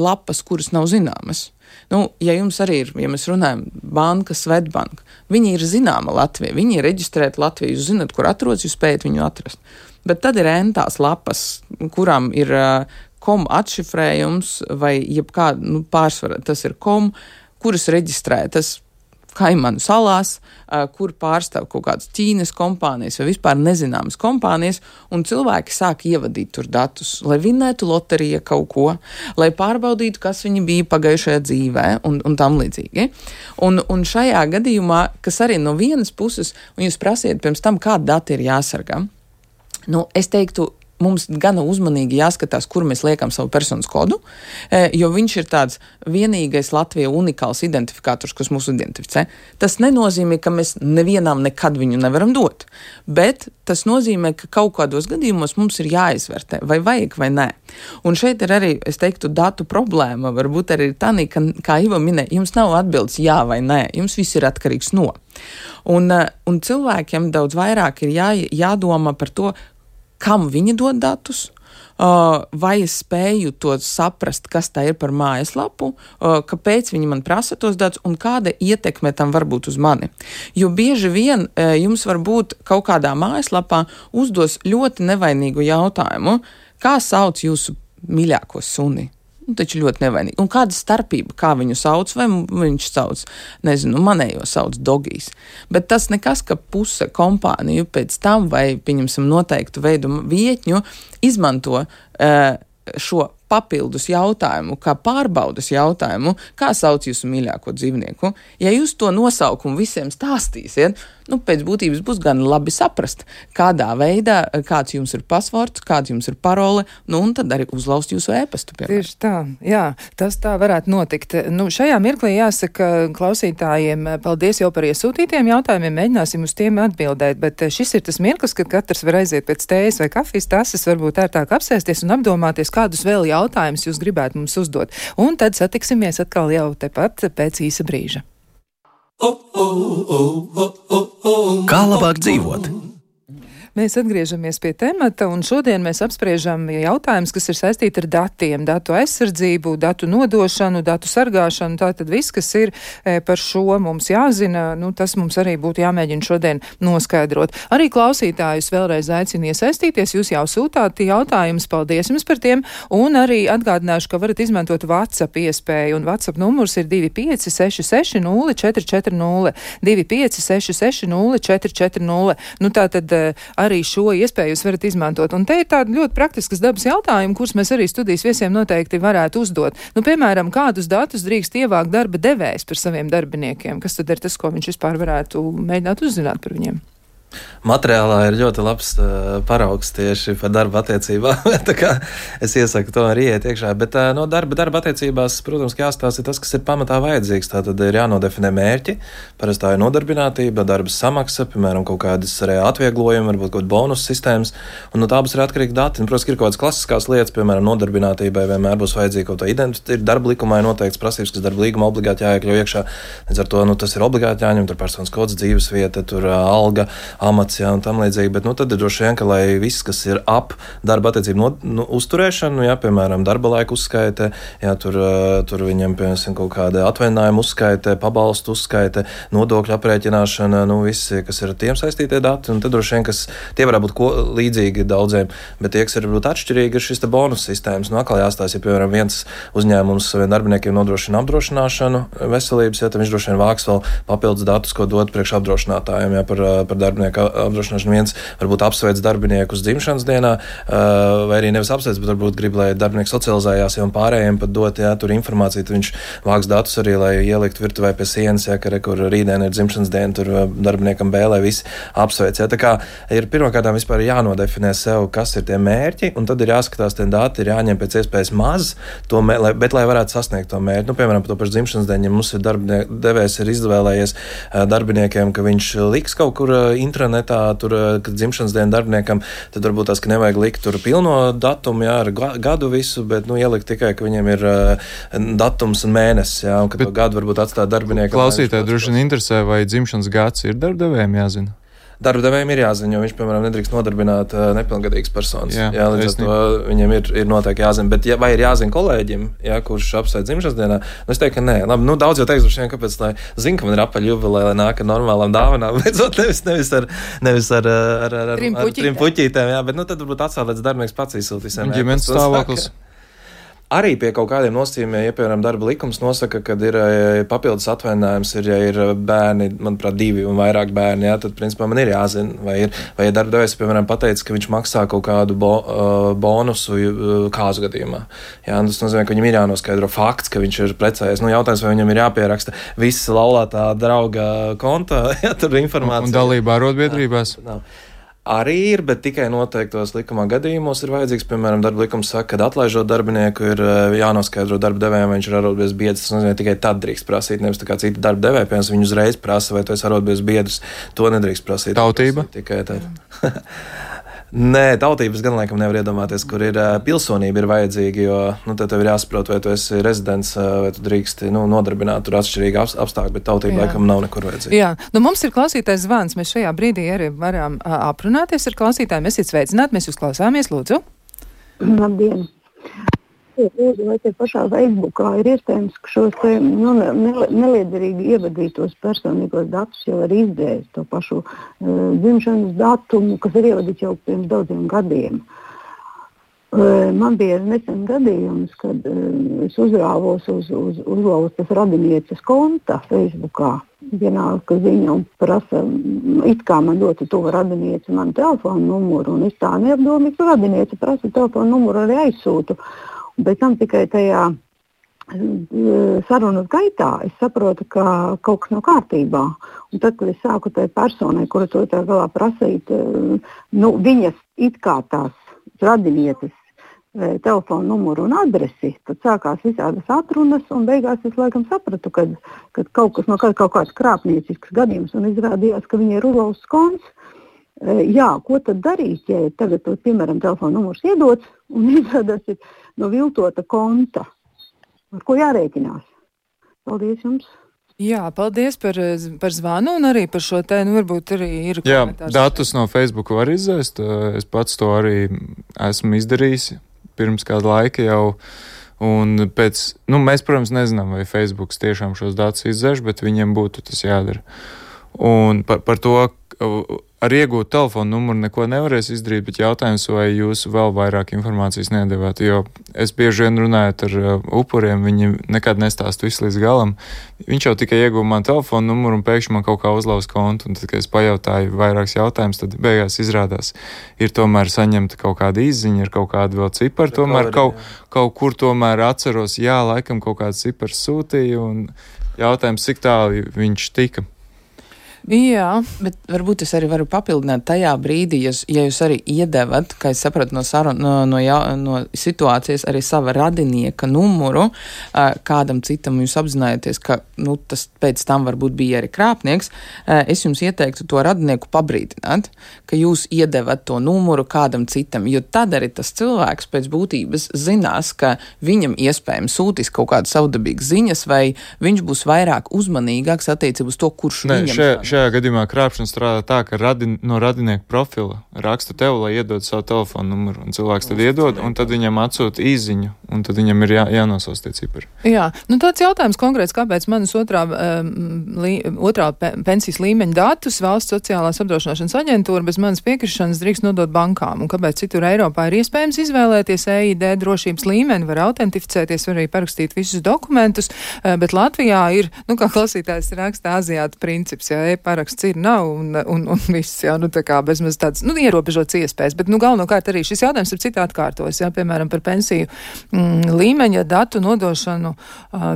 lapas, kuras nav zināmas. Ja jums arī ir, ja mēs runājam, banka, Svetbank, viņi ir zināma Latvija, viņi ir reģistrēti Latvijā, jūs zināt, kur atrodas, jūs spējat viņu atrast. Bet tad ir entās lapas, kurām ir kom atšifrējums vai jebkāda, pārsvarā tas ir kom, kuras reģistrētas Kaimanu salās, kur pārstāv kaut kādas Ķīnas kompānijas vai vispār nezināmas kompānijas, un cilvēki sāk ievadīt tur datus, lai vinnētu loterija kaut ko, lai pārbaudītu, kas viņi bija pagājušajā dzīvē un tam līdzīgi. Un šajā gadījumā, kas arī no vienas puses, un jūs prasiet pirms tam, kāda dati ir jāsargā, es teiktu, mums gana uzmanīgi jāskatās, kur mēs liekam savu personas kodu, jo viņš ir tāds vienīgais Latvijā unikāls identifikators, kas mūs identificē. Tas nenozīmē, ka mēs nevienam nekad viņu nevaram dot, bet tas nozīmē, ka kaut kādos gadījumos mums ir jāizvērtē, vai vajag vai nē. Un šeit ir arī, es teiktu, datu problēma, varbūt arī ir tāda, ka, kā Iva minēja, jums nav atbildes jā vai nē, jums viss ir atkarīgs no. Un cilvēkiem daudz vairāk ir jādomā par to, kam viņi dod datus, vai es spēju to saprast, kas tā ir par mājaslapu, kāpēc viņi man prasa tos datus un kāda ietekme tam var būt uz mani. Jo bieži vien jums var būt kaut kādā mājaslapā uzdos ļoti nevainīgu jautājumu, kā sauc jūsu mīļāko suni. taču ļoti nevainīgi. Un kāda starpība, kā viņu sauc, vai viņš sauc, nezinu, manējo sauc Dogijs. Bet tas nekas, ka puse kompāniju pēc tam, vai, pieņemsim, noteiktu veidu vietņu, izmanto šo papildus jautājumu, kā pārbaudas jautājumu, kā sauc jūsu mīļāko dzīvnieku. Ja jūs to nosaukumu visiem stāstīsiet, pēc būtības būs gan labi saprast, kādā veidā, kāds jums ir pasvords, kāds jums ir parole, un tad arī uzlaust jūsu ēpastu. Tieši tā, jā, tas tā varētu notikt. Šajā mirklī jāsaka klausītājiem paldies jau par iesūtītiem jautājumiem, mēģināsim uz tiem atbildēt, bet šis ir tas mirklis, kad katrs var aiziet pēc tējas vai kafijas tases, varbūt ērtāk apsēsties un apdomāties, kādus vēl jautājumus jūs gribētu mums uzdot. Un tad satiksimies atkal jau tepat pēc īsa brīža. Kā labāk dzīvot? Mēs atgriežamies pie temata, un šodien mēs apspriežam jautājumus, kas ir saistīti ar datiem, datu aizsardzību, datu nodošanu, datu sargāšanu. Tātad viss, kas ir par šo mums jāzina, tas mums arī būtu jāmēģina šodien noskaidrot. Arī klausītājus vēlreiz aicinu iesaistīties, jūs jau sūtāt jautājumus, paldies jums par tiem, un arī atgādināšu, ka varat izmantot WhatsApp iespēju, un WhatsApp numurs ir 2566 0440, 2566 0440. Tātad arī šo iespēju jūs varat izmantot. Un te ir tādi ļoti praktiskas dabas jautājumi, kurus mēs arī studijas viesiem noteikti varētu uzdot. Piemēram, kādus datus drīkst ievākt darba devējs par saviem darbiniekiem? Kas tad ir tas, ko viņš vispār varētu mēģināt uzzināt par viņiem? Materiālā ir ļoti labs paraugs tieši par darba attiecībām. Tā kā es iesaku to arī iet iekšā. Bet no darba attiecībās, protams, jāstāsta tas, kas ir pamatā vajadzīgs. Tātad ir jānodefinē mērķi. Parasti tā ir nodarbinātība, darba samaksa, piemēram, kaut kādas atvieglojumi, varbūt kaut kāda bonus sistēmas. Un no tā būs arī atkarīgi dati. Un, protams, ir kaut kādas klasiskās lietas, piemēram, nodarbinātībai vienmēr būs vajadzīga kaut kāda identitāte. Ir darba likumā noteikts prasības, kas darba līguma obligāti jāiekļauj iekšā. Līdz ar to tas ir obligāti jāņem, tur personas kods, dzīvesvieta, tur alga, amats, jā, un tam līdzīgi, bet tad ir droši vien, ka lai viss, kas ir ap darba attiecību uzturēšanu, jā, piemēram, darba laika uzskaite, jā, tur viņam, piemēram, kaut kāda atvaļinājuma uzskaite, pabalstu uzskaite, nodokļu aprēķināšana, visi, kas ir ar tiem saistītie dati, un tad droši vien, kas tie varētu būt līdzīgi daudziem, bet tie, kas ir varbūt atšķirīgi, ir šis te bonus sistēmas. Atkal jāstāsta, ja, piemēram, viens uzņēmums saviem darbiniekiem nodrošina apdrošināšanu veselības, ja, tad viņš droši vien vāks vēl papildus datus, ko dot priekš apdrošinātājiem, ja, par darbinieku apdrošināšanu. Viens varbūt apsveic darbinieku uz dzimšanas dienā, vai arī nevis apsveic, bet varbūt grib, lai darbinieks socializējās, ja un pārējiem pat dot, jā, tur informāciju, tad viņš vāks datus arī, lai ielikt virtuvē pie sienas, jā, kur rītdien ir dzimšanas diena, tur darbiniekam lai visi apsveic. Jā. Tā kā ir pirmkārtām vispār jānodefinē sev, kas ir tie mērķi, un tad ir jāskatās, tie dati ir jāņem pēc iespējas maz, bet lai varētu sasniegt to mērķi. Piemēram, par to pašu dzimšanas dienu, ja mums ir devējs ir izvēlējies darbiniekiem, ka viņš liks kaut kur intranetā, kad dzimšanas diena darbiniekam, tad varbūt tās, ka nevajag likt tur pilno datumu, jā, ar gadu visu, bet, ielikt tikai, ka viņiem ir datums un mēnesis, jā, un ka to gadu varbūt atstāt darbiniekam. Klausītāji droši vien interesē, vai dzimšanas gads ir darbdevējiem jāzina? Darba devējiem ir jāzina, jo viņš, piemēram, nedrīkst nodarbināt nepilngadīgas personas. Jā, līdz ar to viņam ir noteikti jāzina. Bet vai ir jāzina kolēģim, jā, kurš apsveic dzimšanas dienā? Es teiktu, ka nē. Labi, daudz jau teiks, kāpēc, lai zina, ka man ir apaļ jubileja, lai nāk ar normālām dāvanām, beidzot nevis ar trim puķītēm, jā, bet tad varbūt atstāt, līdz darbinieks pats izsūtīs. Ģimenes stāvoklis. Arī pie kaut kādiem nosacījumiem, ja, piemēram, darba likums nosaka, kad ir papildus atvainājums, ja ir bērni, manuprāt, 2 un vairāk bērni, jā, tad, principā, man ir jāzina, vai darba devējs, piemēram, pateicis, ka viņš maksā kaut kādu bonusu kāzu gadījumā. Jā, tas nozīmē, ka viņam ir jānoskaidro fakts, ka viņš ir precējies. Jautājums, vai viņam ir jāpieraksta viss laulātā drauga konta, ja tur informācija. Un dalībā arotbiedrībās? Arī ir, bet tikai noteiktos likumā gadījumos ir vajadzīgs, piemēram, darba likums saka, kad atlaižot darbinieku ir jānoskaidro darba devējiem, vai viņš ir arotbiedrs biedrs. Tas nozīmē, tikai tad drīkst prasīt, nevis tā kā citi darba devēji, piemēram, viņi uzreiz prasa, vai tu esi arotbiedrs biedrs, to nedrīkst prasīt. Tautība? Tikai tad. Nē, tautības gan laikam nevar iedomāties, kur ir pilsonība ir vajadzīga, jo tad tev ir jāsaprot, vai tu esi rezidents, vai tu drīksti nodarbināt tur atšķirīgi apstākļi, bet tautība laikam nav nekur vajadzīga. Jā, mums ir klausītājs zvans, mēs šajā brīdī arī varam aprunāties ar klausītājiem. Esiet sveicināti, mēs jūs klausāmies, lūdzu. Labdien! Lūdzu, vai te pašā Facebookā ir iespējams, ka šos neliederīgi ievadītos personīgos datus jau ir izdzēst, to pašu dzimšanas datumu, kas ir ievadīts jau pirms daudziem gadiem. Man bija nesen gadījums, kad es uzrāvos uz laustas radinieces konta Facebookā. Vienalga ziņa un prasa, it kā man ļoti tuva radiniece manu telefonu numuru, un es tā neapdomīgu, ka radiniece prasa telefonu numuru arī aizsūtu. Un pēc tam tikai tajā sarunas gaitā es saprotu, ka kaut kas nav kārtībā. Un tad, kad es sāku tai personai, kura to tā galā prasīt, viņas it kā tās radinieces telefonu numuru un adresi, tad sākās visādas atrunas, un beigās es laikam sapratu, kad kaut kas no kaut kāds krāpniecisks gadījums, un izrādījās, ka viņi ir uzlauzts konts. Jā, ko tad darīt, ja tagad, piemēram, telefonu numurs iedots, un izrādās ir no viltota konta, ar ko jārēķinās? Paldies jums! Jā, paldies par zvanu un arī par šo te, varbūt arī ir komentārs. Jā, datus no Facebook var izzēst, es pats to arī esmu izdarījis pirms kāda laika jau, un mēs, protams, nezinām, vai Facebooks tiešām šos datus izzēš, bet viņiem būtu tas jādara. Un par to, ar iegūt telefonu numuru neko nevarēs izdarīt, bet jautājums, vai jūs vēl vairāk informācijas nedevāt, jo es bieži vien runājot ar upuriem, viņi nekad nestāst visu līdz galam. Viņš jau tikai ieguva man telefonu numuru un pēkšņi man kaut kā uzlauz kontu, un tad, kad es pajautāju vairākus jautājumus, tad beigās izrādās, ir tomēr saņemta kaut kāda izziņa, ir kaut kāda vēl cipari, tomēr kaut kur tomēr atceros, jā, laikam kaut kāds cipars sūtīja, un jautājums, cik tālu viņš tika. Jā, bet varbūt es arī varu papildināt tajā brīdī, ja jūs arī iedevat, kā es sapratu no situācijas, arī sava radinieka numuru kādam citam, jūs apzinājaties, ka tas pēc tam varbūt bija arī krāpnieks, es jums ieteiktu to radinieku pabrīdināt, ka jūs iedevat to numuru kādam citam, jo tad arī tas cilvēks pēc būtības zinās, ka viņam iespējams sūtīs kaut kādas savdabīgas ziņas, vai viņš būs vairāk uzmanīgāks attiecībā uz to, kurš viņam Šajā gadījumā krāpšana strādā tā, ka no radinieka profila raksta tev, lai iedod savu telefonu numuru, un cilvēks tad iedod, un tad viņam atsūta īziņu, un tad viņam ir jānosauc tie cipari. Jā, tāds jautājums konkrēts, kāpēc manas otrā pensijas līmeņa datus valsts sociālās apdrošināšanas aģentūra bez manas piekrišanas drīkst nodot bankām, un kāpēc citur Eiropā ir iespējams izvēlēties EID drošības līmeni, var autentificēties, var arī parakstīt visus dokumentus, bet Latvijā ir, kā klausītājs raksta, aziāta princips, ja paraksts ir, nav, un viss, jā, tā kā bezmaz tāds, ierobežots iespējas, bet, galvenokārt arī šis jautājums ir citā atkārtojas, jā, piemēram, par pensiju līmeņa datu nodošanu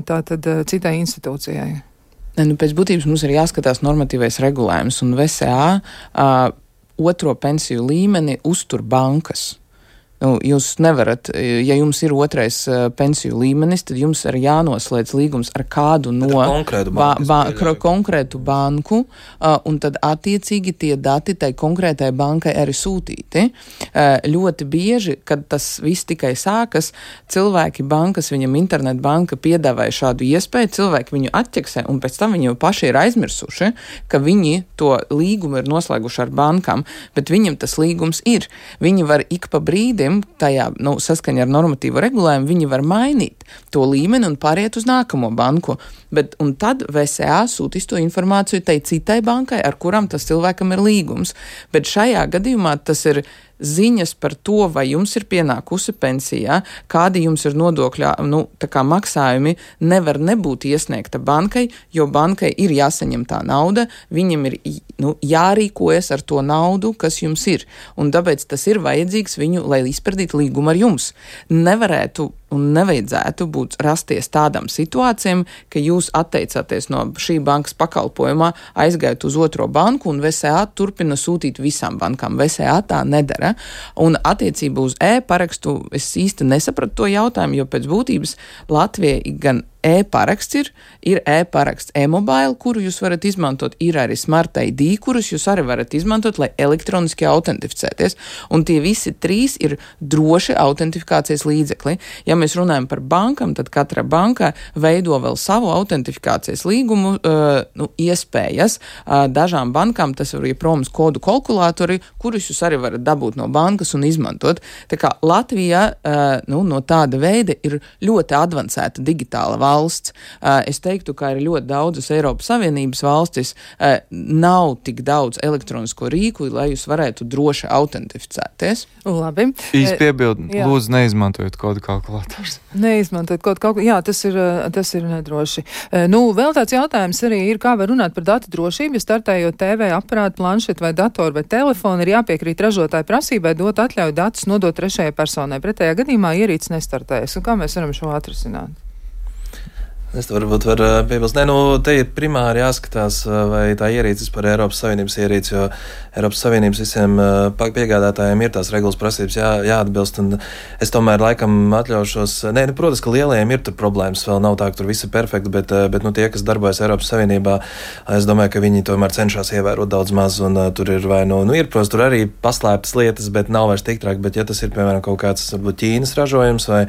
tātad citai institūcijai. Pēc būtības mums ir jāskatās normatīvais regulējums, un VSA otro pensiju līmeni uztur bankas. Jūs nevarat, ja jums ir otrais pensiju līmenis, tad jums ir jānoslēdz līgums ar kādu no konkrētu banku, un tad attiecīgi tie dati tai konkrētai bankai arī sūtīti. Ļoti bieži, kad tas viss tikai sākas, cilvēki bankas, viņam internetbanka piedāvāja šādu iespēju, cilvēki viņu atķeksē, un pēc tam viņi jau paši ir aizmirsuši, ka viņi to līgumu ir noslēguši ar bankām, bet viņam tas līgums ir. Viņi var ik pa brīdim tajā, saskaņā ar normatīvu regulējumu, viņi var mainīt to līmeni un pāriet uz nākamo banku. Un tad VSA sūtīs to informāciju tai citai bankai, ar kuram tas cilvēkam ir līgums. Bet šajā gadījumā tas ir ziņas par to, vai jums ir pienākusi pensijā, kādi jums ir nodokļā, maksājumi, nevar nebūt iesniegta bankai, jo bankai ir jāsaņem tā nauda, viņam ir jārīkojas ar to naudu, kas jums ir. Un tāpēc tas ir vajadzīgs viņu, lai izpildītu līgumu ar jums. Nevarētu un nevajadzētu rasties tādām situācijām, ka jūs atteicāties no šī bankas pakalpojumā, aizgājat uz otro banku un VSA turpina sūtīt visām bankām. VSA tā nedara. Un attiecībā uz e-parakstu es īsti nesapratu to jautājumu, jo pēc būtības Latvijai gan e-paraksts ir e-paraksts e-mobile, kuru jūs varat izmantot, ir arī Smart ID, kurus jūs arī varat izmantot, lai elektroniski autentificēties. Un tie visi trīs ir droši autentifikācijas līdzekli. Ja Ja mēs runājam par bankam, tad katra banka veido vēl savu autentifikācijas līgumu iespējas. Dažām bankām tas ir promas kodu kalkulātori, kurus jūs arī varat dabūt no bankas un izmantot. Tā kā Latvija no tāda veida ir ļoti advancēta digitāla valsts. Es teiktu, ka ir ļoti daudzas Eiropas Savienības valstis nav tik daudz elektronisko rīku, lai jūs varētu droši autentificēties. Labi. Īsti piebildi, lūdzu, neizmantojot kodu kalkulators. Neizmantojot kodu kalkulators. Jā, tas ir nedroši. Vēl tāds jautājums arī ir, kā var runāt par datu drošību, ja startējot TV aparātu, planšetu vai datoru vai telefonu, ir jāpiekrīt ražotāju prasībai dot atļauju datus nodot trešajai personai. Pretējā gadījumā ierīce nestartējas. Un kā mēs varam šo atrisināt? Es varbūt varu piebilst. Te ir primāri jāskatās, vai tā ierīces par Eiropas Savienības ierīci, jo Eiropas Savienības visiem piegādātājiem ir tās regulas prasības jāatbilst, un es tomēr laikam atļaušos. Protams, ka lielajiem ir tur problēmas, vēl nav tā, ka tur viss ir perfekti, bet tie, kas darbojas Eiropas Savienībā, es domāju, ka viņi tomēr cenšas ievērot daudz maz, un tur ir ir, protams, tur arī paslēptas lietas, bet nav vairs tik traki, bet ja tas ir, piemēram, kaut kāds, varbūt Ķīnas ražojums vai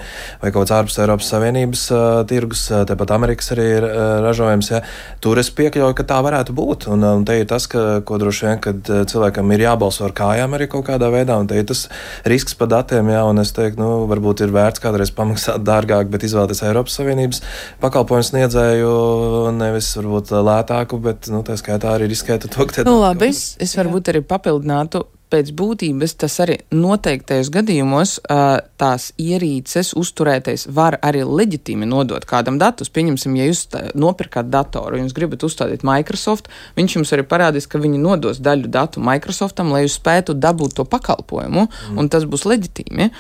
kaut kāds ārpus Eiropas Savienības tirgus, tāpat Amerikas arī ir ražojums, tur es piekļauju, ka tā varētu būt. Un te ir tas, ko droši vien, kad cilvēkam ir jābalso ar kājām arī kaut kādā veidā, un te ir tas risks par datiem, un es teiktu, varbūt ir vērts kādreiz pamaksāt dārgāk, bet izvēlēties Eiropas Savienības pakalpojumu sniedzēju, nevis varbūt lētāku, bet tā skaitā arī riskētu to, ka labi, es varbūt arī papildinātu. Pēc būtības tas arī noteiktajos gadījumos tās ierīces uzturētais var arī leģitīmi nodot kādam datus. Pieņemsim, ja jūs nopirkat datoru, jums gribat uzstādīt Microsoft, viņš jums arī parādīs, ka viņi nodos daļu datu Microsoftam, lai jūs spētu dabūt to pakalpojumu, un tas būs leģitīmi.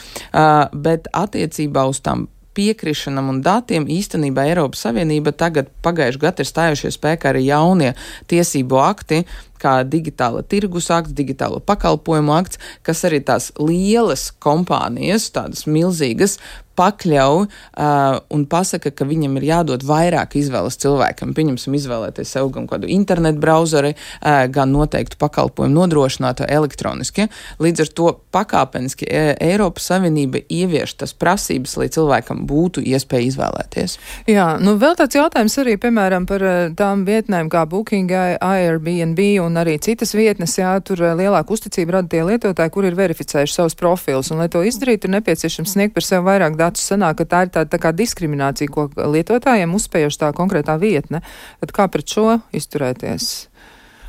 Bet attiecībā uz tām piekrišanam un datiem īstenībā Eiropas Savienība tagad pagājuši gadu ir stājušies spēkā arī jaunie tiesību akti, kā digitāla tirgus akts, digitālo pakalpojumu akts, kas arī tās lielas kompānijas, tādas milzīgas, pakļauj un pasaka, ka viņam ir jādod vairāk izvēles cilvēkam. Pieņemsim izvēlēties sev gan kādu internetu brauzeri, gan noteiktu pakalpojumu nodrošinātu elektroniski. Līdz ar to pakāpeniski Eiropas Savienība ievieš tas prasības, lai cilvēkam būtu iespēja izvēlēties. Jā, vēl tāds jautājums arī, piemēram, par tām vietnēm kā Booking, Airbnb un arī citas vietnes, tur lielāku uzticību rada tie lietotāji, kur ir verificējuši savus profilus, un lai to izdarītu, ir nepieciešams sniegt par sevi vairāk datus. Sanāk, ka tā ir tā kā diskriminācija, ko lietotājiem uzspējuši tā konkrētā vietne. Tad kā pret šo izturēties?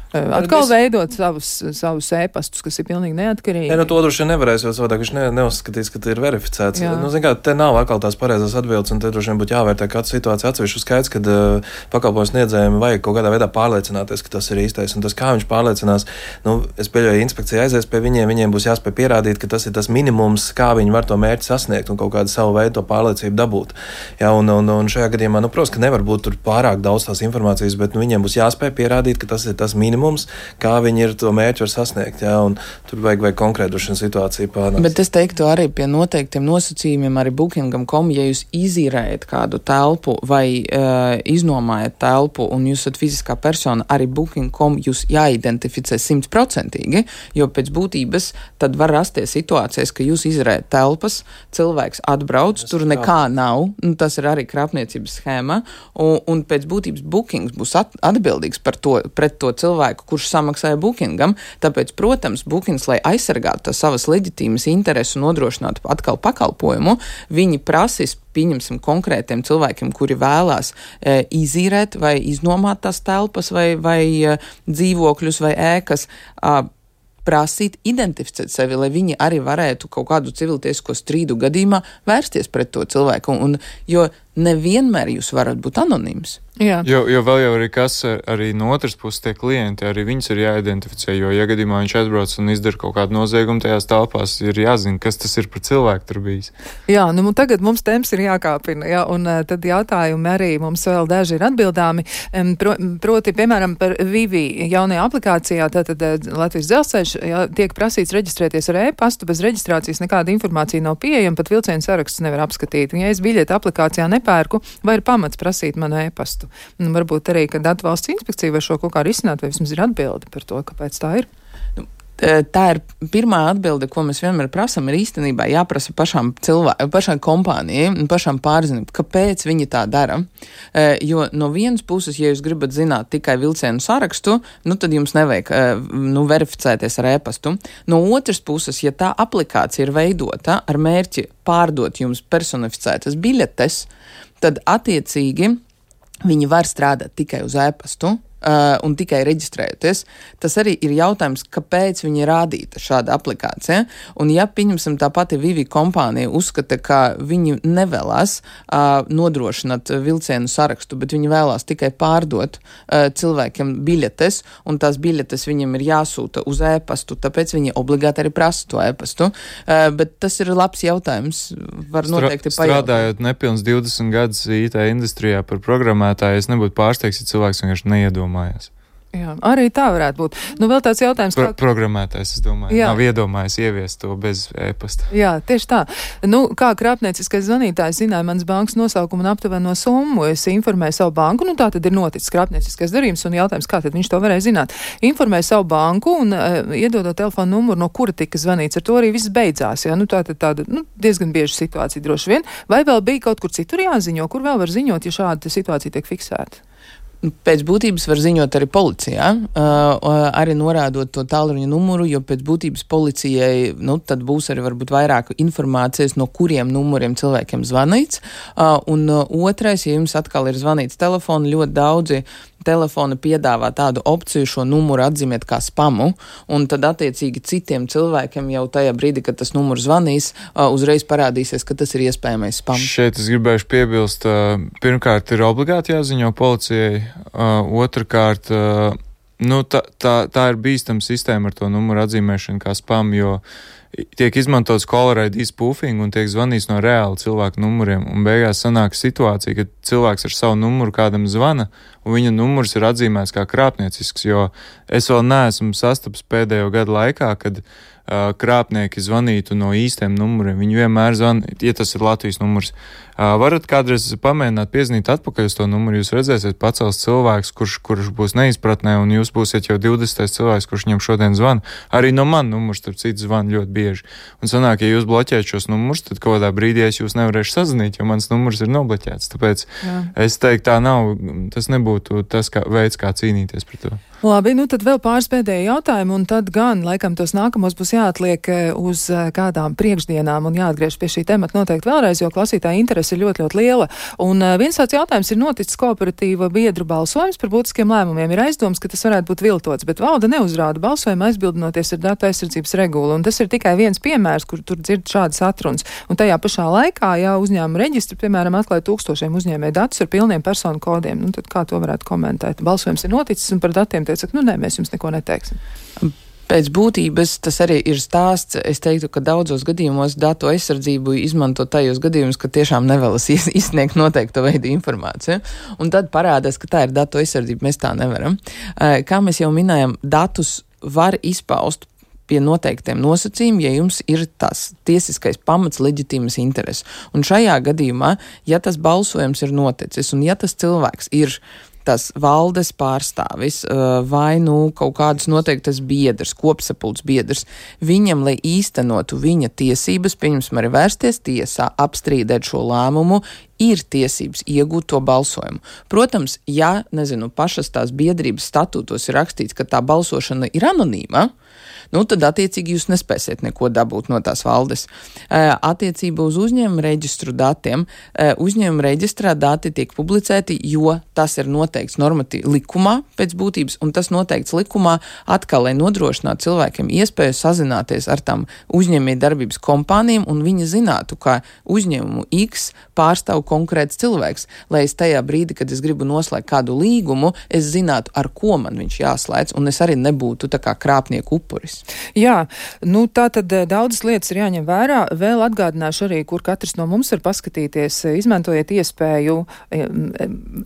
Atkal veidot savus ēpastus, kas ir pilnīgi neatkarīgi. To droši vien nevarēs, jo savādāk viņš neuzskatīs, ka tas ir verificēts. Te nav atkal tās pareizās atbildes, un te droši vien būtu jāvērtē katru situāciju atsevišķi. Skaidrs, ka pakalpojums sniedzējiem vajag kaut kādā veidā pārliecināties, ka tas ir īstais, un tas, kā viņš pārliecinās, es pieļauju, inspekcija aizies pie viņiem būs jāspēj pierādīt, ka tas ir tas minimums, kā viņi var to mērķi sasniegt un kaut kādu savu veidu to pārliecību dabūt. Un šajā gadījumā, protams, ka nevar būt tur pārāk daudz tās informācijas, bet viņiem būs jāspēj pierādīt, ka tas ir tas minimums, kā viņi ir to mērķi var sasniegt, un tur vajag konkrētu situāciju pārnākt. Bet es teiktu arī pie noteiktiem nosacījumiem arī Booking.com, ja jūs izīrējat kādu telpu vai iznomājat telpu un jūs esat fiziskā persona, arī Booking.com jūs jāidentificē 100%, jo pēc būtības tad var rasties situācijas, ka jūs izrējat telpas, cilvēks atbrauc, tur nekā nav, tas ir arī krāpniecības schēma, un pēc būtības Bookings būs atbildīgs pret to cilvēku, kurš samaksāja Bookingam. Tāpēc, protams, Bookings, lai aizsargātu savas leģitīmas interesu un nodrošinātu atkal pakalpojumu, viņi prasīs, pieņemsim, konkrētiem cilvēkiem, kuri vēlās izīrēt vai iznomāt tās telpas vai dzīvokļus vai ēkas, prasīt identificēt sevi, lai viņi arī varētu kaut kādu civiltiesisko strīdu gadījumā vērsties pret to cilvēku. Jo nevienmēr jūs varat būt anonīms. Jā. Jo vēl jau arī kas arī no otras puses tie klienti, arī viņus ir jāidentificē, jo ja gadījumā viņš atbrauc un izdara kaut kādu noziegumu tajās telpās, ir jāzina, kas tas ir par cilvēku tur bijis. Jā, tagad mums temps ir jākāpina, un tad jautājumi arī mums vēl daži ir atbildāmi. Proti, piemēram, par Vivi jaunajā aplikācijā, tātad Latvijas dzelzceļš, tiek prasīts reģistrēties ar e-pastu, bez reģistrācijas nekāda informācija nav pieejama, pat vilcienu sarakstus nevar apskatīt. Ja es biļeti aplikācijā nepērku, vai ir pamats prasīt manu e-pastu? Varbūt arī, ka Datu valsts inspekcija var šo kaut kā risināt, vai vismaz ir atbildi par to, kāpēc tā ir. Tā ir pirmā atbilde, ko mēs vienmēr prasam, ir īstenībā jāprasa pašai kompānijai un pašām pārzināt, kāpēc viņi tā dara. Jo no vienas puses, ja jūs gribat zināt tikai vilcienu sarakstu, tad jums nevajag verificēties ar e-pastu. No otras puses, ja tā aplikācija ir veidota ar mērķi pārdot jums personificētas biļetes, tad attiecīgi viņi var strādāt tikai uz e-pastu un tikai reģistrējoties. Tas arī ir jautājums, kāpēc viņi rādīta šāda aplikācija. Un ja, pieņemsim, tā pati Vivi kompānija uzskata, ka viņi nevēlas nodrošināt vilcienu sarakstu, bet viņi vēlās tikai pārdot cilvēkiem biļetes, un tās biļetes viņiem ir jāsūta uz e-pastu, tāpēc viņi obligāti arī prasa to e-pastu. Bet tas ir labs jautājums. Var noteikti pajautāt. Strādājot nepilns 20 gadus IT industrijā par programmētāju, es nebūtu pārsteigts, ja cilvēks vienkārši neiedomājās. Jā, arī tā varētu būt. Vēl tāds jautājums, kā... Programmētājs, es domāju, nav iedomājis ieviest to bez e-pasta. Jā, tieši tā. Kā krāpnieciskais zvanītājs zināja mans bankas nosaukumu un aptuveno summu, es informēju savu banku, tā tad ir noticis krāpnieciskais darījums, un jautājums, kā tad viņš to varēja zināt. Informēju savu banku un iedodot telefonu numuru, no kura tika zvanīts, ar to arī viss beidzās. Jā, tāda diezgan bieža situācija droši vien. Vai vēl bija kaut kur citur jāziņo, kur vēl var ziņot, ja šāda situācija tiek fiksēta? Pēc būtības var ziņot arī policijā, arī norādot to tālruņa numuru, jo pēc būtības policijai, tad būs arī varbūt vairāk informācijas, no kuriem numuriem cilvēkiem zvanīts. Un otrais, ja jums atkal ir zvanīts telefonu, ļoti daudzi telefoni piedāvā tādu opciju šo numuru atzīmēt kā spamu, un tad attiecīgi citiem cilvēkiem jau tajā brīdī, kad tas numurs zvanīs, uzreiz parādīsies, ka tas ir iespējamais spams. Šeit es gribēšu piebilst, pirmkārt ir obligāti jāziņo policijai, otrkārt, tā ir bīstama sistēma ar to numuru atzīmēšanu kā spam, jo tiek izmantots caller ID spoofing un tiek zvanīts no reāli cilvēku numuriem, un beigās sanāk situācija, ka cilvēks ar savu numuru kādam zvana, un viņa numurs ir atzīmēts kā krāpniecisks, jo es vēl neesmu sastaps pēdējo gadu laikā, kad krāpnieki zvanītu no īstiem numuriem. Viņi vienmēr zvana, ja tas ir Latvijas numurs. Varat kādreiz pamēģināt piezinīt atpakaļ uz to numuru, jūs redzēsiet pacels cilvēks, kurš būs neizpratnē, un jūs būsiet jau 20. cilvēks, kurš viņam šodien zvana. Arī no man numurs, starp citu, zvana ļoti bieži. Un sanāk, ja jūs bloķējat šos numurus, tad kaut kādā brīdī es jūs nevarēšu sazvanīt, jo mans numurs ir nobloķēts. Tāpēc es teiktu, tā nav, tas nebūtu tas veids, kā cīnīties pret to. Labi, tad vēl pāris pēdējie jautājumi, un tad gan, laikam, tos nākamos būs jāatliek uz kādām priekšdienām un jāatgriež pie šī temata noteikti vēlreiz, jo klausītāja interese ir ļoti, ļoti liela. Un viens tāds jautājums ir noticis kooperatīva biedru balsojums par būtiskiem lēmumiem. Ir aizdoms, ka tas varētu būt viltots, bet valde neuzrāda balsojumu aizbildinoties ar datu aizsardzības regulu, un tas ir tikai viens piemērs, kur tur dzird šādas atrunas. Un tajā pašā laikā, ja uzņēmuma reģistri, piemēram, atklāja 1000 uzņēmēju datus ar pilniem personu kodiem, tad kā to varētu komentēt? Balsojums ir noticis un par datiem teica, nē, mēs jums neko neteiksim. Pēc būtības tas arī ir stāsts. Es teiktu, ka daudzos gadījumos datu aizsardzību izmanto tajos gadījumos, ka tiešām nevēlas izsniegt noteiktu veidu informāciju. Un tad parādās, ka tā ir datu aizsardzība. Mēs tā nevaram. Kā mēs jau minējam, datus var izpaust pie noteiktiem nosacījumiem, ja jums ir tas tiesiskais pamats leģitīmas intereses. Un šajā gadījumā, ja tas balsojums ir noticis un ja tas cilvēks ir tas valdes pārstāvis vai kaut kādas noteiktas biedrs, kopsapulces biedrs, viņam, lai īstenotu viņa tiesības, pieņemsim arī vērsties tiesā, apstrīdēt šo lēmumu, ir tiesības iegūt to balsojumu. Protams, ja, pašas tās biedrības statūtos ir rakstīts, ka tā balsošana ir anonīma, tad attiecīgi jūs nespēsiet neko dabūt no tās valdes. Attiecībā uz uzņēmuma reģistru datiem, uzņēmuma reģistrā dati tiek publicēti, jo tas ir noteikts normatīvi likumā pēc būtības, un tas noteikts likumā atkal, lai nodrošinātu cilvēkiem iespēju sazināties ar tām uzņēmēju darbības kompānijām, un viņi zinātu, ka uzņēmumu X pārstāv konkrēts cilvēks, lai es tajā brīdī, kad es gribu noslēgt kādu līgumu, es zinātu, ar ko man viņš jāslēdz, un es arī nebūtu tā kā krāpnieku upuris. Jā, tā tad daudzas lietas ir jāņem vērā. Vēl atgādināšu arī, kur katrs no mums var paskatīties, izmantojiet iespēju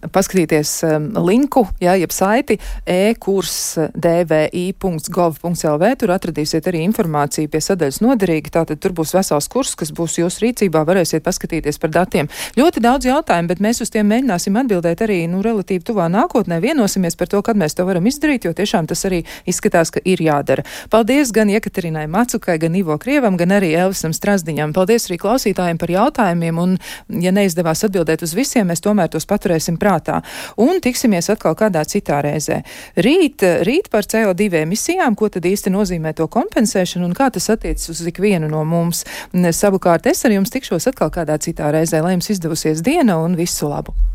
paskatīties linku, jeb saiti e-kurs.dvi.gov.lv. Tur atradīsiet arī informāciju pie sadaļas noderīgi. Tātad tur būs vesels kurs, kas būs jūsu rīcībā, varēsiet paskatīties par datiem. Ļoti ļoti daudz jautājumu, bet mēs uz tiem mēģināsim atbildēt arī, relatīvi tuvā nākotnē. Vienosimies par to, kad mēs to varam izdarīt, jo tiešām tas arī izskatās, ka ir jādara. Paldies gan Jekaterinai Macukai, gan Ivo Krievam, gan arī Elvisam Strazdiņam. Paldies arī klausītājiem par jautājumiem, un, ja neizdevās atbildēt uz visiem, mēs tomēr tos paturēsim prātā. Un tiksimies atkal kādā citā reizē. Rīt par CO2 emisijām, ko tad īsti nozīmē to kompensēšanu un kā tas attiecas uz ikvienu no mums. Savukārt es ar jums tikšos atkal kādā citā reizē, lai jums izdevusies diena un visu labu!